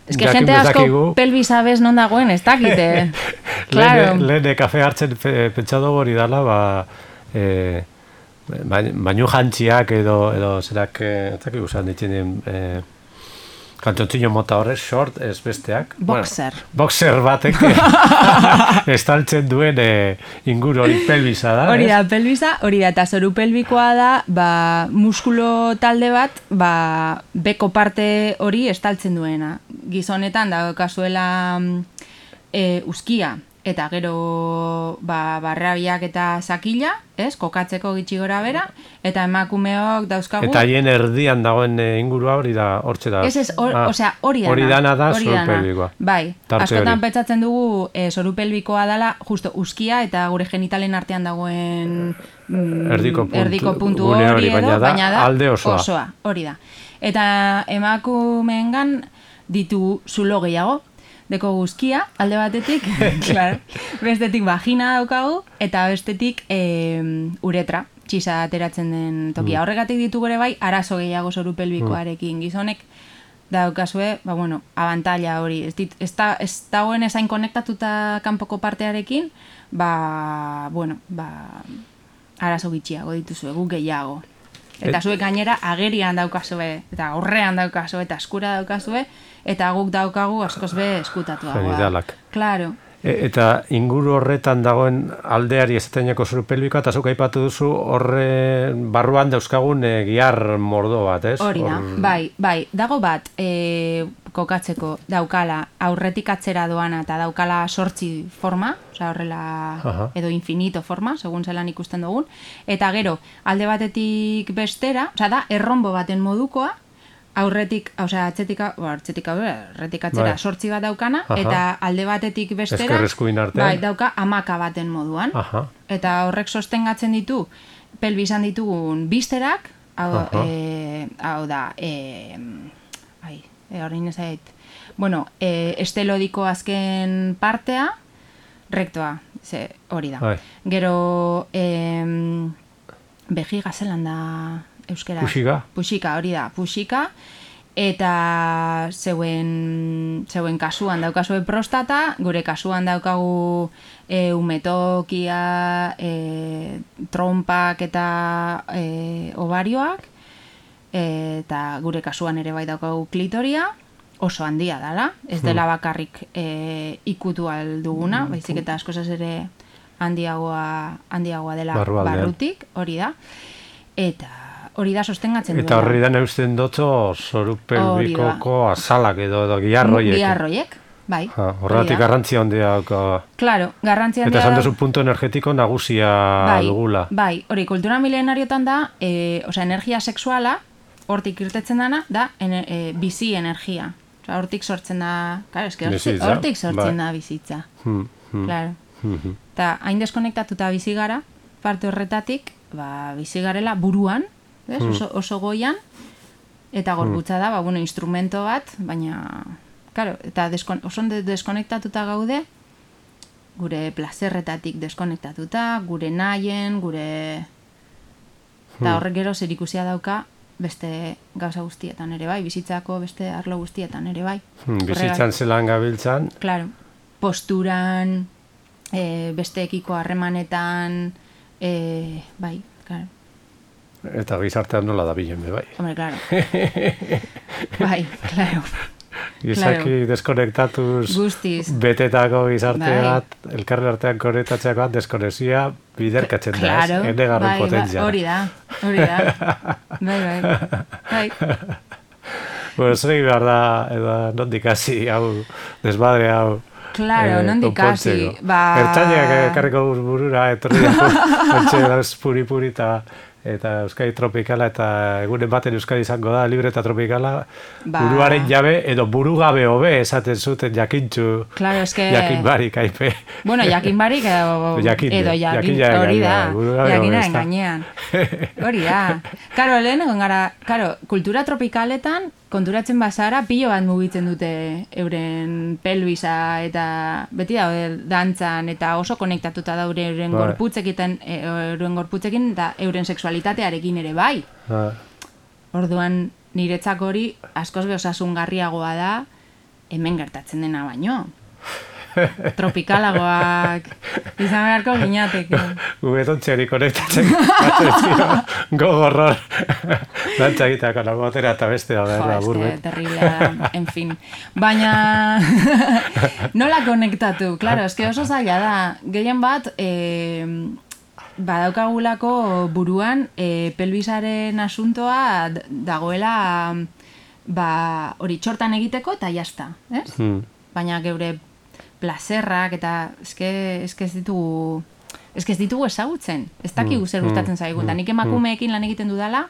jakin bezakigu.
Pelbis abez non dagoen, ez dakite.
Lehen kafe hartzen pentsatu hori dala, bainu jantziak edo zerak, ez dakik usan ditzen Kantzontziño mota horrez, short, ez besteak.
Boxer.
Bueno, boxer batek estaltzen duen inguru hori pelbisa da.
Hori da, pelbisa, hori da, eta zoru pelbikoa da, muskulo talde bat, beko parte hori estaltzen duena. Gizonetan, daukazuela uzkia, eta gero barrabiak eta sakila, kokatzeko gitxi gora bera, eta emakumeok dauzkagu...
Eta haien erdian dagoen ingurua hori da, hortxe da.
Hori dana.
Hori dana da zoru pelbikoa.
Bai, askotan pentsatzen dugu zoru pelbikoa dela, justo uzkia eta gure genitalen artean dagoen erdiko puntu hori edo, baina da
alde osoa.
Hori da. Eta emakumeengan ditu zulo gehiago, deko guzkia, alde batetik, claro, bestetik vagina daukagu, eta bestetik uretra, txisa ateratzen den tokia. Horregatik ditu gure bai, arazo gehiago zoru pelbikoarekin. Gizonek daukazue, abantaila hori. Ez dagoen ezain konektatuta kanpoko partearekin, arazo gitxiago dituzue, guk gehiago. Eta zuek gainera agerian daukazue, eta aurrean daukazue, eta eskura daukazue, eta guk daukagu askoz be eskutatua.
Genidalak.
Claro.
Eta inguru horretan dagoen aldeari ezateneko zoru pelbikoa, eta zuk aipatu duzu horre barruan dauzkagun gihar mordo bat, ez?
Hori da, bai, dago bat kokatzeko daukala aurretik atzera doana eta daukala 8 forma, osea horrela edo infinito forma, segun zelan ikusten dugun, eta gero alde batetik bestera, osea da erronbo baten modukoa, aurretik, osea atzetik atzera 8 bat daukana, eta alde batetik bestera dauka hamaka baten moduan. Eta horrek sostengatzen ditu pelbisan ditugun bisterak, hau da, horrein ezait, estelodiko azken partea, rektoa, hori da. Gero, bejiga zelan da euskera. Puxika, hori da, puxika, eta zeuen kasuan daukazue prostata, gure kasuan daukagu umetokia, trompak eta ovarioak, eta gure kasuan ere bai daukagu klitoria, oso handia dela, ez dela bakarrik ikutu alduguna, baizik eta askozaz ere handiagoa dela barrutik, hori da, eta hori da sostengatzen duela.
Eta horri da neusten dotzo zoru pelbikoko azalak edo giharroiek.
Giharroiek, bai.
Horregatik garrantzia handia dauka.
Claro, garrantzia handia.
Eta esan duzu punto energetiko nagusia dugula.
Bai, hori kultura milenariotan da, energia sexuala, hortik irtetzen dana, da bizi energia. Hortik sortzen da, hortik sortzen da bizitza. Claro. Eta hain deskonektatuta bizi gara, parte horretatik, bizi garela buruan, oso goian, eta gorputza da, instrumento bat, baina, claro, eta oso deskonektatuta gaude, gure plazerretatik deskonektatuta, gure nahien, eta horrek gero zerikusia dauka, beste gauza guztietan ere bai, bizitzako beste arlo guztietan ere bai.
Bizitzan zelan gabiltzan.
Claro, posturan, besteekiko harremanetan, bai, claro.
Eta gizartean nola da bilen, bai.
Hombre, claro. Bai, claro.
Gizaki deskonektatuz betetako gizarte bat, elkarren artean konektatzeak bat, deskonexia biderkatzen da, ez? Enegarren potentzia.
Hori da. Bai.
Bueno, zer egin behar da, edo nondik hasi, hau, desmadre hau,
claro, nondik hasi.
Ertzainak ekarriko burura, etorri da, puri-puri eta Euskadi tropikala, eta egunen baten Euskadi izango da, libre eta tropikala, buruaren jabe, edo burugabe hobe esaten zuten jakintxu, jakin barik, aipe.
Bueno, jakin barik edo jakin, hori da, jakinaren gainean. Hori da. Karo, lehenengo gara, kultura tropikaletan, konturatzen bazara, pilo bat mugitzen dute euren pelbisa eta beti daude dantzan eta oso konektatuta da euren gorputzekin eta euren sexualitatearekin ere bai. Orduan niretzako hori askoz be osasungarriagoa da hemen gertatzen dena baino. tropikalagoak izan beharko ginateke.
Ubetontxeri konektatzen gogorror. Dantza egiteako nago batera eta bestea da, burbet.
Terriblea, en fin. Baina, nola konektatu? Claro, eske oso zaila da. Gehien bat, badaukagulako buruan pelbisaren asuntoa dagoela hori txortan egiteko eta jazta, ez? Baina geure plazerrak eta eske ez ditugu ezagutzen. Ez dakigu zer gustatzen zaigun. Nik emakumeekin lan egiten dudala,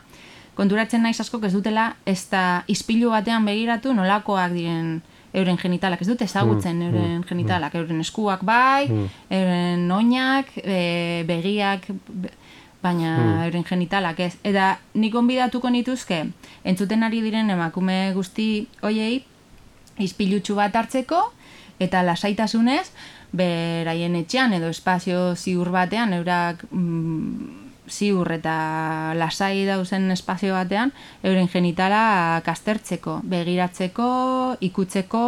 konturatzen naiz askok ez dutela ez da ispilu batean begiratu nolakoak diren euren genitalak, ez dute ezagutzen euren genitalak, euren eskuak bai, euren oinak, begiak, baina euren genitalak ez. Eta nik gonbidatuko nituzke, entzuten ari diren emakume guzti hoiei, ispilutxu bat hartzeko, eta lasaitasunez, beraien etxean edo espazio ziur batean, eurak ziur eta lasai dauzen espazio batean, euren genitalak aztertzeko, begiratzeko, ikutzeko,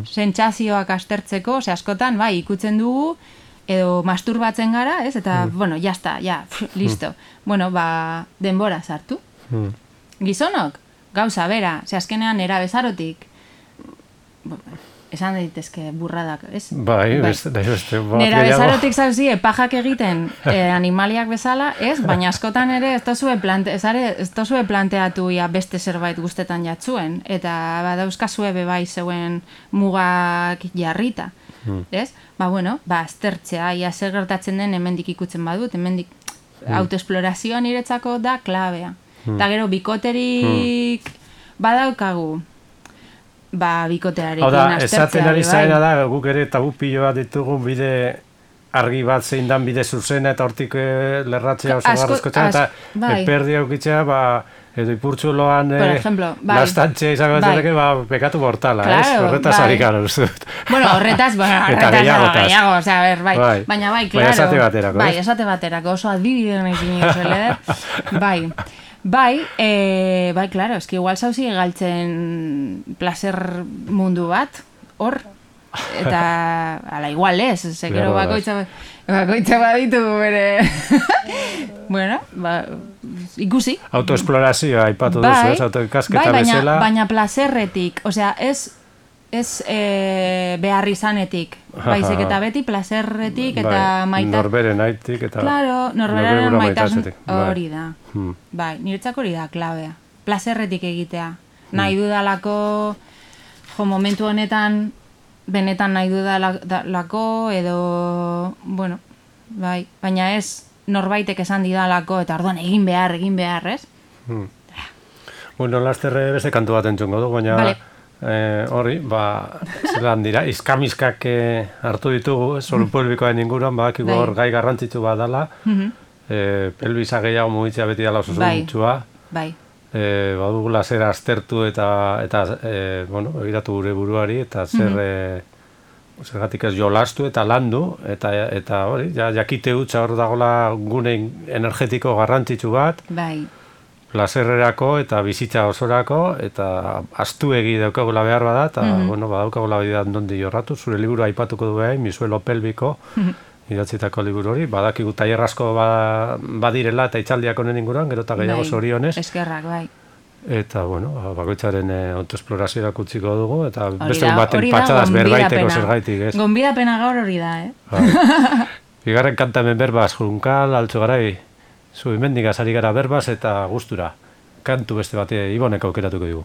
sentsazioak aztertzeko, askotan, bai, ikutzen dugu, edo masturbatzen gara, ez? Eta, bueno, jazta, listo. Bueno, denbora sartu. Gizonok, gauza bera, azkenean era bezarotik, esan daitezke burradak, ez?
Bai, beste.
Nera bezarotik zauzie, pajak egiten animaliak bezala, ez? Baina askotan ere ez tozue planteatu beste zerbait guztetan jatzuen, eta badauzkazue bebai zeuen mugak jarrita, ez? Aztertzea, zer gertatzen den hemendik ikutzen badut, hemendik autoesplorazioa niretzako da klabea. Eta gero, bikoterik badaukagu, bikotearekin aztertzea.
Esaten ari zaena da, guk ere tabu pilo bat ditugun bide argi bat zein dan bide zuzena eta hortik lerratzea oso garrezkotzen, eta perdi aukitzea, edo ipurtzuloan lastantzea izango zeteke, pekatu mortala, ez? Horretaz harikara, uste dut.
Bueno, horretaz gehiago, bai. Baina bai, klaro.
Esate baterako,
bai, esate baterako, oso adibideen egin zuele, bai, klaro, eski igual zauzi galtzen placer mundu bat, hor, eta ala igual ez, zekero bakoitza baditu bere, bueno, ikusi.
Autoesplorazioa aipatu duzu, ez, autoikasketa bezala.
Baina plazerretik, osea, ez behar izanetik, baizik eta beti plazerretik eta maitat...
Norberen aitik eta...
Claro, norberen maitasun hori da. Bai, niretzako hori da, klabea. Plazerretik egitea. Nahi dudalako, momentu honetan, benetan nahi dudalako, edo, bueno, bai, baina ez norbaitek esan didalako, eta orduan egin behar, ez?
Bueno, lasterre beste kantu bat entzungo du, baina... Hori, zelan dira, izkamiskak hartu ditugu, solu pelbikoen inguruan, badakiko hor gai garrantzitsu bat dela, pelbisa gehiago mugitzea beti dela oso zuntzua, badugula zer aztertu eta egiratu gure buruari, eta zergatik ez jolastu eta landu, eta hori, jakite hutsa hor dagoela gune energetiko garrantzitsu bat, plazerrerako eta bizitza osorako, eta astuegi daukagula behar bada, eta badaukagula bidean dondi jorratu, zure liburu aipatuko du behain, Misuelo Pelbiko, idatzitako liburu hori, badakigu tailer asko badirela eta itzaldiak honen inguruan, gero eta gehiago zorionez.
Eskerrak, bai.
Eta, bakoitzaren autoesplorazioa kutziko dugu, eta beste baten patxadaz berbaiteko zergaitik, ez?
Gonbidapena gaur hori da, eh?
Bigarren kanta hemen berbaz, Junkal, Altzogarai, zu imendik azari gara berbaz eta gustura. Kantu beste bate Ibonek aukeratuko dugu.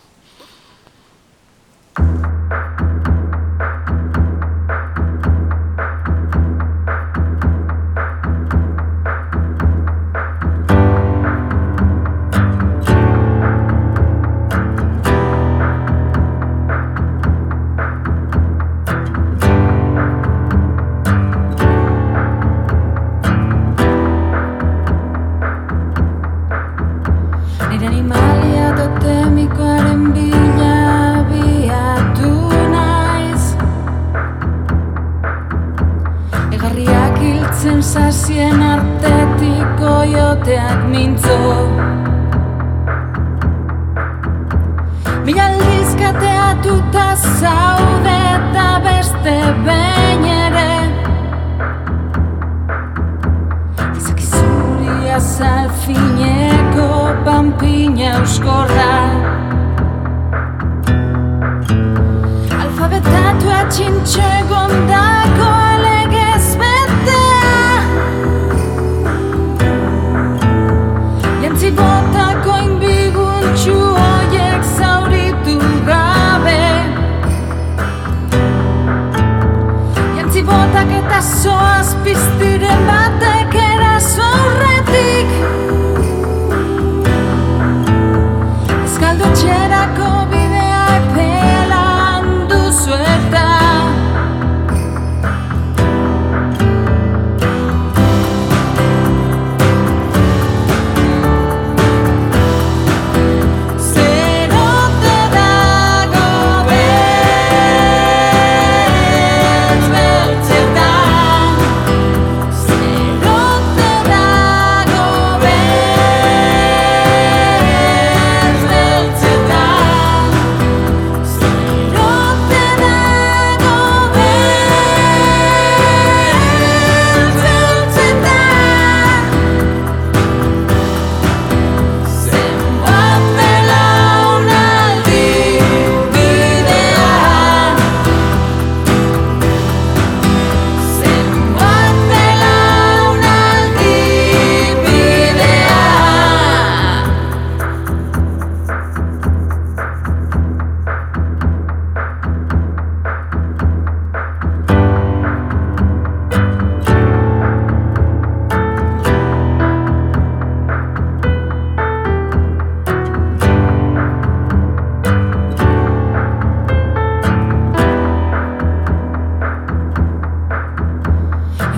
Sensazien artetik oioteak mintzo Mila aldizkateatuta zaude eta beste behin pina euskorra. Alfabetatua txintxo egondako alegez betea. Jantzi botako inbiguntxu hoiek zauritu gabe. Jantzi botak eta zoaz piztiren batek eraso aurretik. Eskaldotxerako bidea epelan duzu eta zerote dago beltz beltzetan. Zerote dago beltz beltzetan. Zerote dago beltz beltzetan. Zenbat belaunaldi bidean. Zenbat belaunaldi bidean.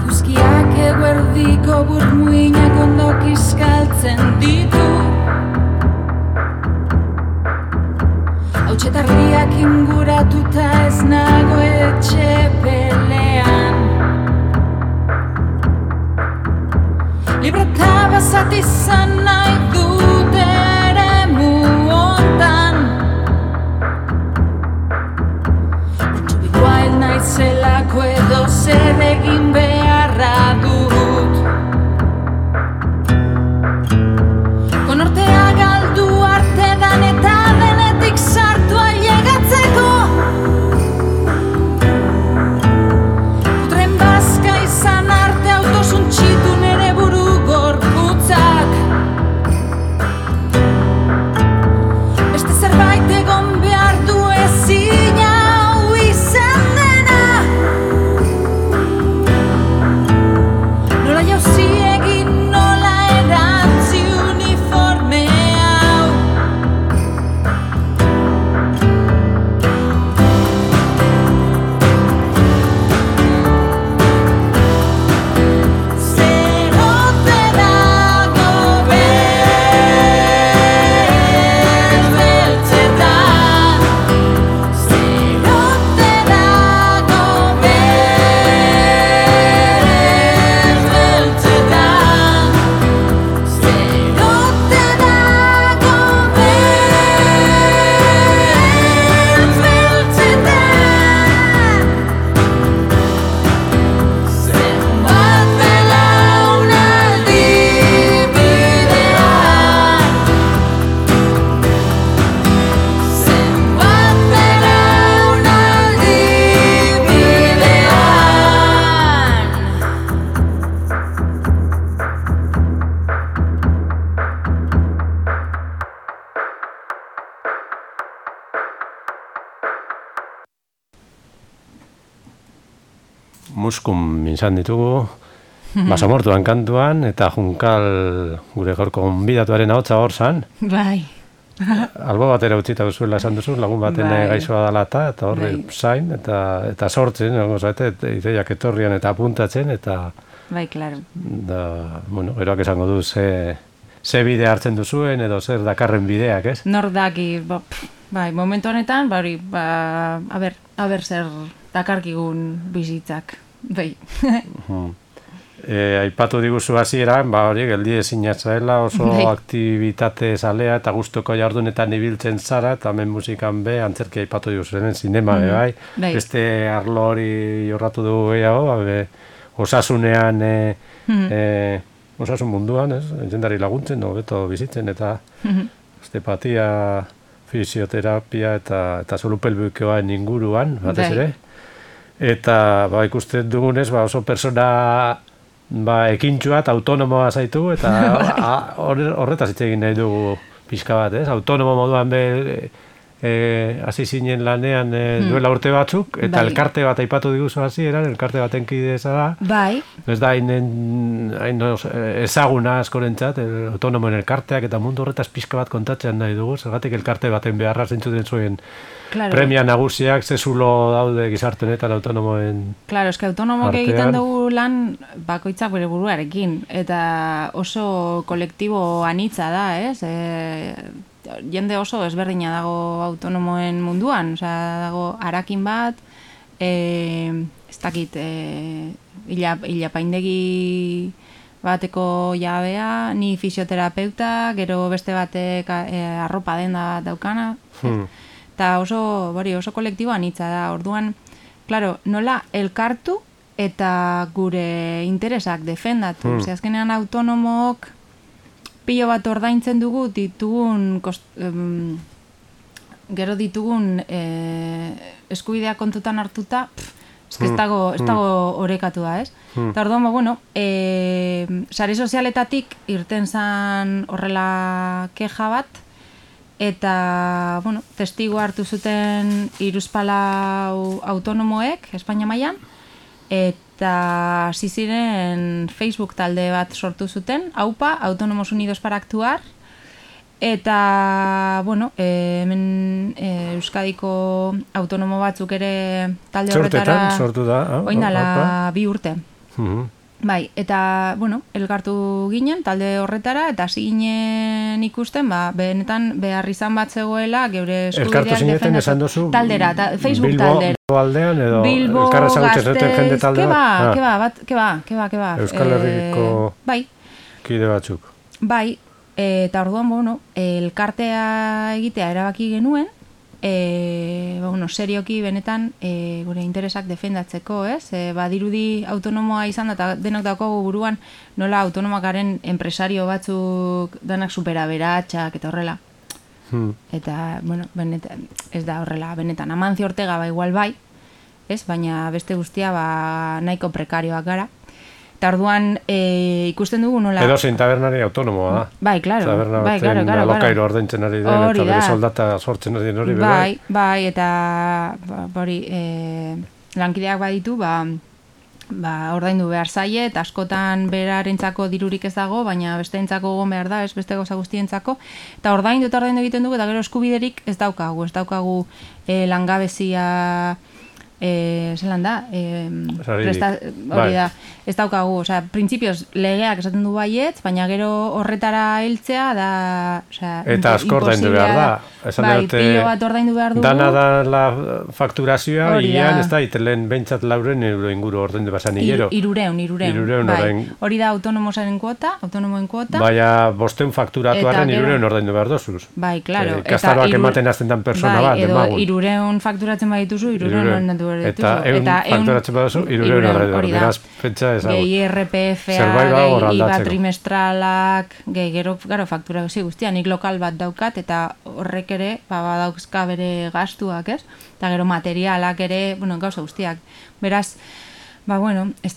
Eguzkiak eguerdiko burmuinak ondo kiskaltzen ditu. Hautsetarriak inguratuta ez nago etxe pelean. Libreta bazat izan nahi dut eremu hontan. Wild naizelako edo zer egin beharra dut. Konortea galdu arte dan eta denetik sartu ailegatzeko. Putren bazka izan arte autosuntxitu nere buru gorputzak. Beste zerbait egon behar du ezin hau izan dena. Nola jauzi egin, nola erantzi uniforme hau. Zerote dago beltz beltzetan. Zerote dago beltz beltzetan. Zerote dago beltz beltzetan. Zenbat belaunaldi bidean. Zenbat belaunaldi
Muskun izan ditugu, basamortuan kantuan, eta Junkal gure gaurko gonbidatuaren ahotsa hor zan.
Bai.
Albo batera utzita duzuela esan duzu, lagun baten
Bai.
gaixoa dela eta horre
Bai.
zain, eta sortzen, ideiak etorrian eta apuntatzen, eta
Bai, claro.
bueno, geroak esango du ze bide hartzen duzuen, edo zer dakarren bideak, ez?
Nor daki, bai, momentu honetan, bai, aber zer dakarkigun bizitzak. Bai.
Aipatu diguzu hasieran, hori geldi ezinatzaela, oso
Bai.
aktibitate zalea eta gustoko jardunetan ibiltzen zara, eta hemen musikan be, antzerki aipatu diguzu, zinema be, bai.
Bai.
Beste arlo hori jorratu dugu gehiago, osasunean osasun munduan, ez? Jendari laguntzen, hobeto bizitzen, eta osteopatia, fisioterapia eta solupelbuikoen inguruan, batez ere. Eta ikusten dugunez, oso persona ekintxua eta autonomoa zaitu, eta horretaz hitz egin nahi dugu pixka bat, ez? Autonomo moduan hasi zinen lanean duela urte batzuk, eta elkarte bat aipatu diguzu hasieran, elkarte baten kide da.
Bai.
Ez da hain ezaguna askorentzat, autonomoen elkarteak eta mundu horretaz pixka bat kontatzen nahi dugu, zergatik elkarte baten beharra zentzuten zuen premia nagusiak, zezulo daude gizarte honetan autonomoen.
Claro, eske autonomok egiten dugu lan bakoitzak bere buruarekin, eta oso kolektibo anitza da, ez? Jende oso ezberdina dago autonomoen munduan, dago harakin bat, ez dakit, ilapaindegi bateko jabea, ni fisioterapeuta, gero beste batek arropa denda daukana, eta oso kolektibo anitza da, orduan, claro, nola elkartu eta gure interesak defendatu, azkenean autonomok pilo bat ordaintzen dugu gero ditugun eskubideak kontutan hartuta, ez dago orekatua, ez? Eta orduan, sare sozialetatik irten zan horrela keja bat, eta, testigu hartu zuten 3 autonomoek, Espainia mailan, eta hasi ziren Facebook talde bat sortu zuten, AUPA, Autónomos Unidos para Actuar, eta, hemen Euskadiko autonomo batzuk ere talde horretara
sortu da,
oindala 2 urte. Bai, eta, elkartu ginen talde horretara, eta hasi ginen ikusten, benetan behar izan bat zegoela, geure eskubideak defendatu taldera, Facebook taldera.
Bilbo aldean edo elkarra ezagutzen zuten jende taldera?
Keba.
Euskal Herriko kide batzuk.
Bai, eta orduan, elkartea egitea erabaki genuen, serioki benetan gure interesak defendatzeko, ez? Badirudi autonomoa izan da, eta denok daukagu buruan nola autonomakaren enpresario batzuk danak superaberatsak eta horrela. Eta, benetan, ez da horrela, benetan, Amancio Ortega igual bai, ez? Baina beste guztia nahiko prekarioak gara. Eta orduan ikusten dugu nola...
Edo zein tabernari autonomoa da.
Bai, klaro.
Taberna baten alokairo ordaintzen ari den, eta bere soldata sortzen ari den hori.
Bai, eta lankideak baditu, ordaindu behar zaie, eta askotan berarentzako dirurik ez dago, baina besteentzako egon behar da, ez beste gauza guztientzako. Eta ordaindu egiten dugu, eta gero eskubiderik ez daukagu langabezia... zelan da, hori da, ez daukagu, printzipioz legeak esaten du baietz, baina gero horretara heltzea da,
eta asko ordaindu behar da.
Pilo bat ordaindu behar dugu.
Dana da la fakturazioa, hilean ez da, itelen behintzat 400 euro inguru ordaindu basan hilero.
300, hori da autonomoen kuota.
Baina 500 fakturatuaren 300 ordaindu behar dozuz.
Bai, klaro.
Kastaroak ematen azten dan persona bat, demagun.
Edo 300 fakturatzen badituzu, 300 ordaindu.
Eta fakturatzen baduzu, 300 ordaindu. Beraz, pentsa ezagut.
IRPF-a, IVA trimestralak, gero fakturazio guztia, nik lokal bat daukat, eta horrek ere, badauzka bere gastuak, ez? Eta gero materialak ere, gauza guztiak. Beraz, ez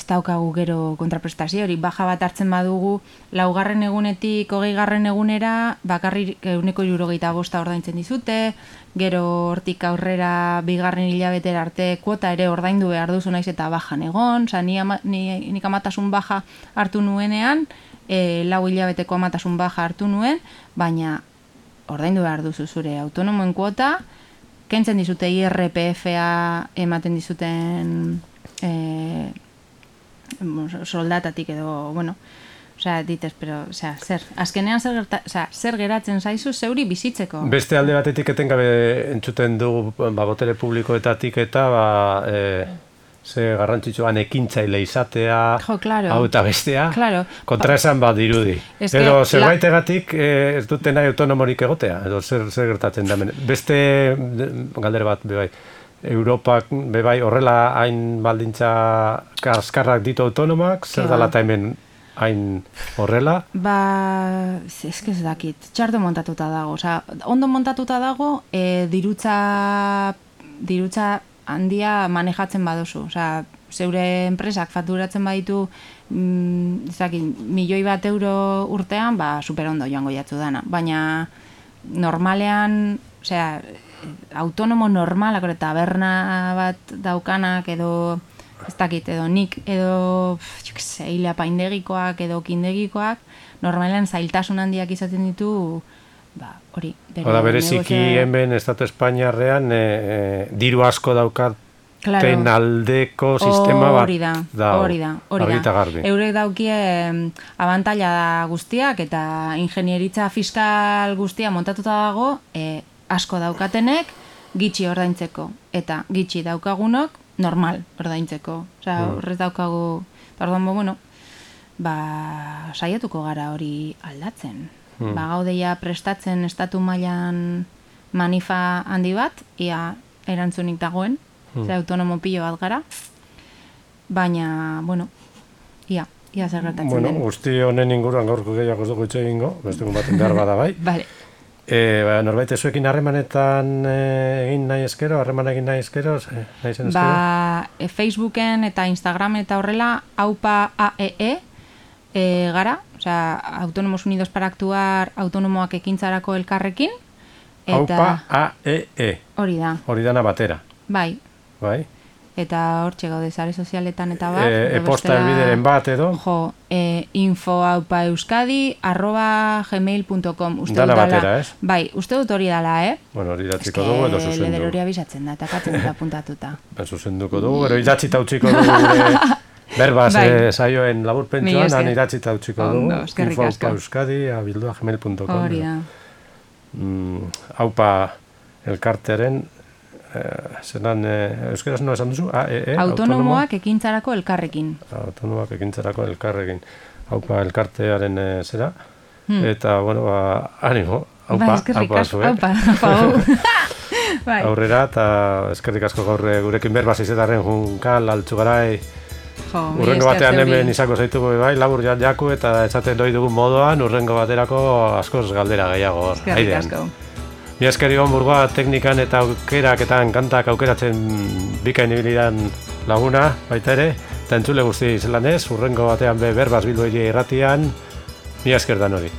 daukagu gero kontraprestazio hori, baja bat hartzen badugu, 4. egunetik 20. egunera, bakarrik 175 ordaintzen dizute, gero hortik aurrera 2. hilabetera arte kuota ere ordaindu behar duzu naiz eta bajan egon, nik amatasun baja hartu nuenean, 4 hilabeteko amatasun baja hartu nuen, baina ordaindu behar duzu zure autonomoen kuota, kentzen dizute IRPF-a ematen dizuten soldatatik edo, ditez, pero, azkenean zer geratzen zaizu zeuri bizitzeko.
Beste alde batetik etengabe entzuten dugu botere publikoetatik eta ze garrantzitsuan ekintzaile izatea, hau eta bestea, kontraesan bat dirudi. Edo zerbaitegatik ez duten nahi autonomorik egotea, edo zer gertatzen da. Beste galdera bat, bai. Europak bebai horrela hain baldintza kaskarrak ditu autonomak, zer dala eta hemen hain horrela?
Ba, ez dakit, txarto montatuta dago. Osa, ondo montatuta dago, dirutza handia manejatzen baduzu. Osa, zeure enpresak fakturatzen baditu, €1.000.000 urtean, ba, super ondo joango jatzu dana. Baina, normalean, osea, autonomo normalak, taberna bat daukanak, edo, ez dakit, edo nik, edo, hile paindegikoak, edo kindegikoak, normalean zailtasun handiak izaten ditu, ba, hori.
Bereziki hemen Estatu Espainiarrean diru asko daukaten aldeko sistema bat
hori da.
Argita garbi.
Eurek daukie abantaila guztiak eta ingenieritza fiskal guztia montatuta dago, asko daukatenek gitxi ordaintzeko eta gitxi daukagunok normal ordaintzeko. Osea, horrez daukagu, pardon, saiatuko gara hori aldatzen. Gaudeia prestatzen estatu mailan manifa handi bat, ia erantzunik dagoen, autonomo pilo bat gara, baina, ia zer gertatzen den.
Guzti honen inguruan gaurko gehiago ez dugu itxe egingo, bestegun baten behar bada bai.
Vale.
Norbait ezuekin harremanetan egin nahi eskero, nahi zen eskero?
Facebooken eta Instagramen eta horrela, aupa AEE gara, osea, Autónomos Unidos para Actuar autonomoak ekintzarako elkarrekin.
Aupa AEE.
Hori da.
Hori dana batera.
Bai. Eta hortxe gaude sare sozialetan eta bat.
E-posta elbideren bat edo?
info@euskadi@gmail.com.
Dana batera, ez?
Bai, uste dut hori dala,
Bueno, hori idatziko dugu edo zuzendu.
Leder hori abizatzen da, eta katzen dut apuntatuta.
Zuzenduko dugu, gero idatzita utziko dugu berbaz saioen laburpentsuan, han idatzita utziko dugu. info@euskadi@gmail.com.
Hori da.
Aupa elkarteren zelan, euskaraz no esan duzu?
Autonomoak ekintzarako elkarrekin.
Autonomoak ekintzarako elkarrekin. Aupa elkartearen zera. Eta, animo. Aupa zuek. Aurrera, eta eskerrik asko gaur gurekin berbaz izetaren junkal, altzugarai. Urrengo batean hemen izango zaitugu bai, labur jaku eta etzaten doi dugun moduan, urrengo baterako askoz galdera gehiago.
Eskerrik asko.
Mi eskeri Burgoa teknikan eta aukeraketan kantak aukeratzen bikain ibilidan laguna, baita ere, eta entzule guzti zelan ez, urrengo batean berbaz Bilbo irratian, mi esker dan hori.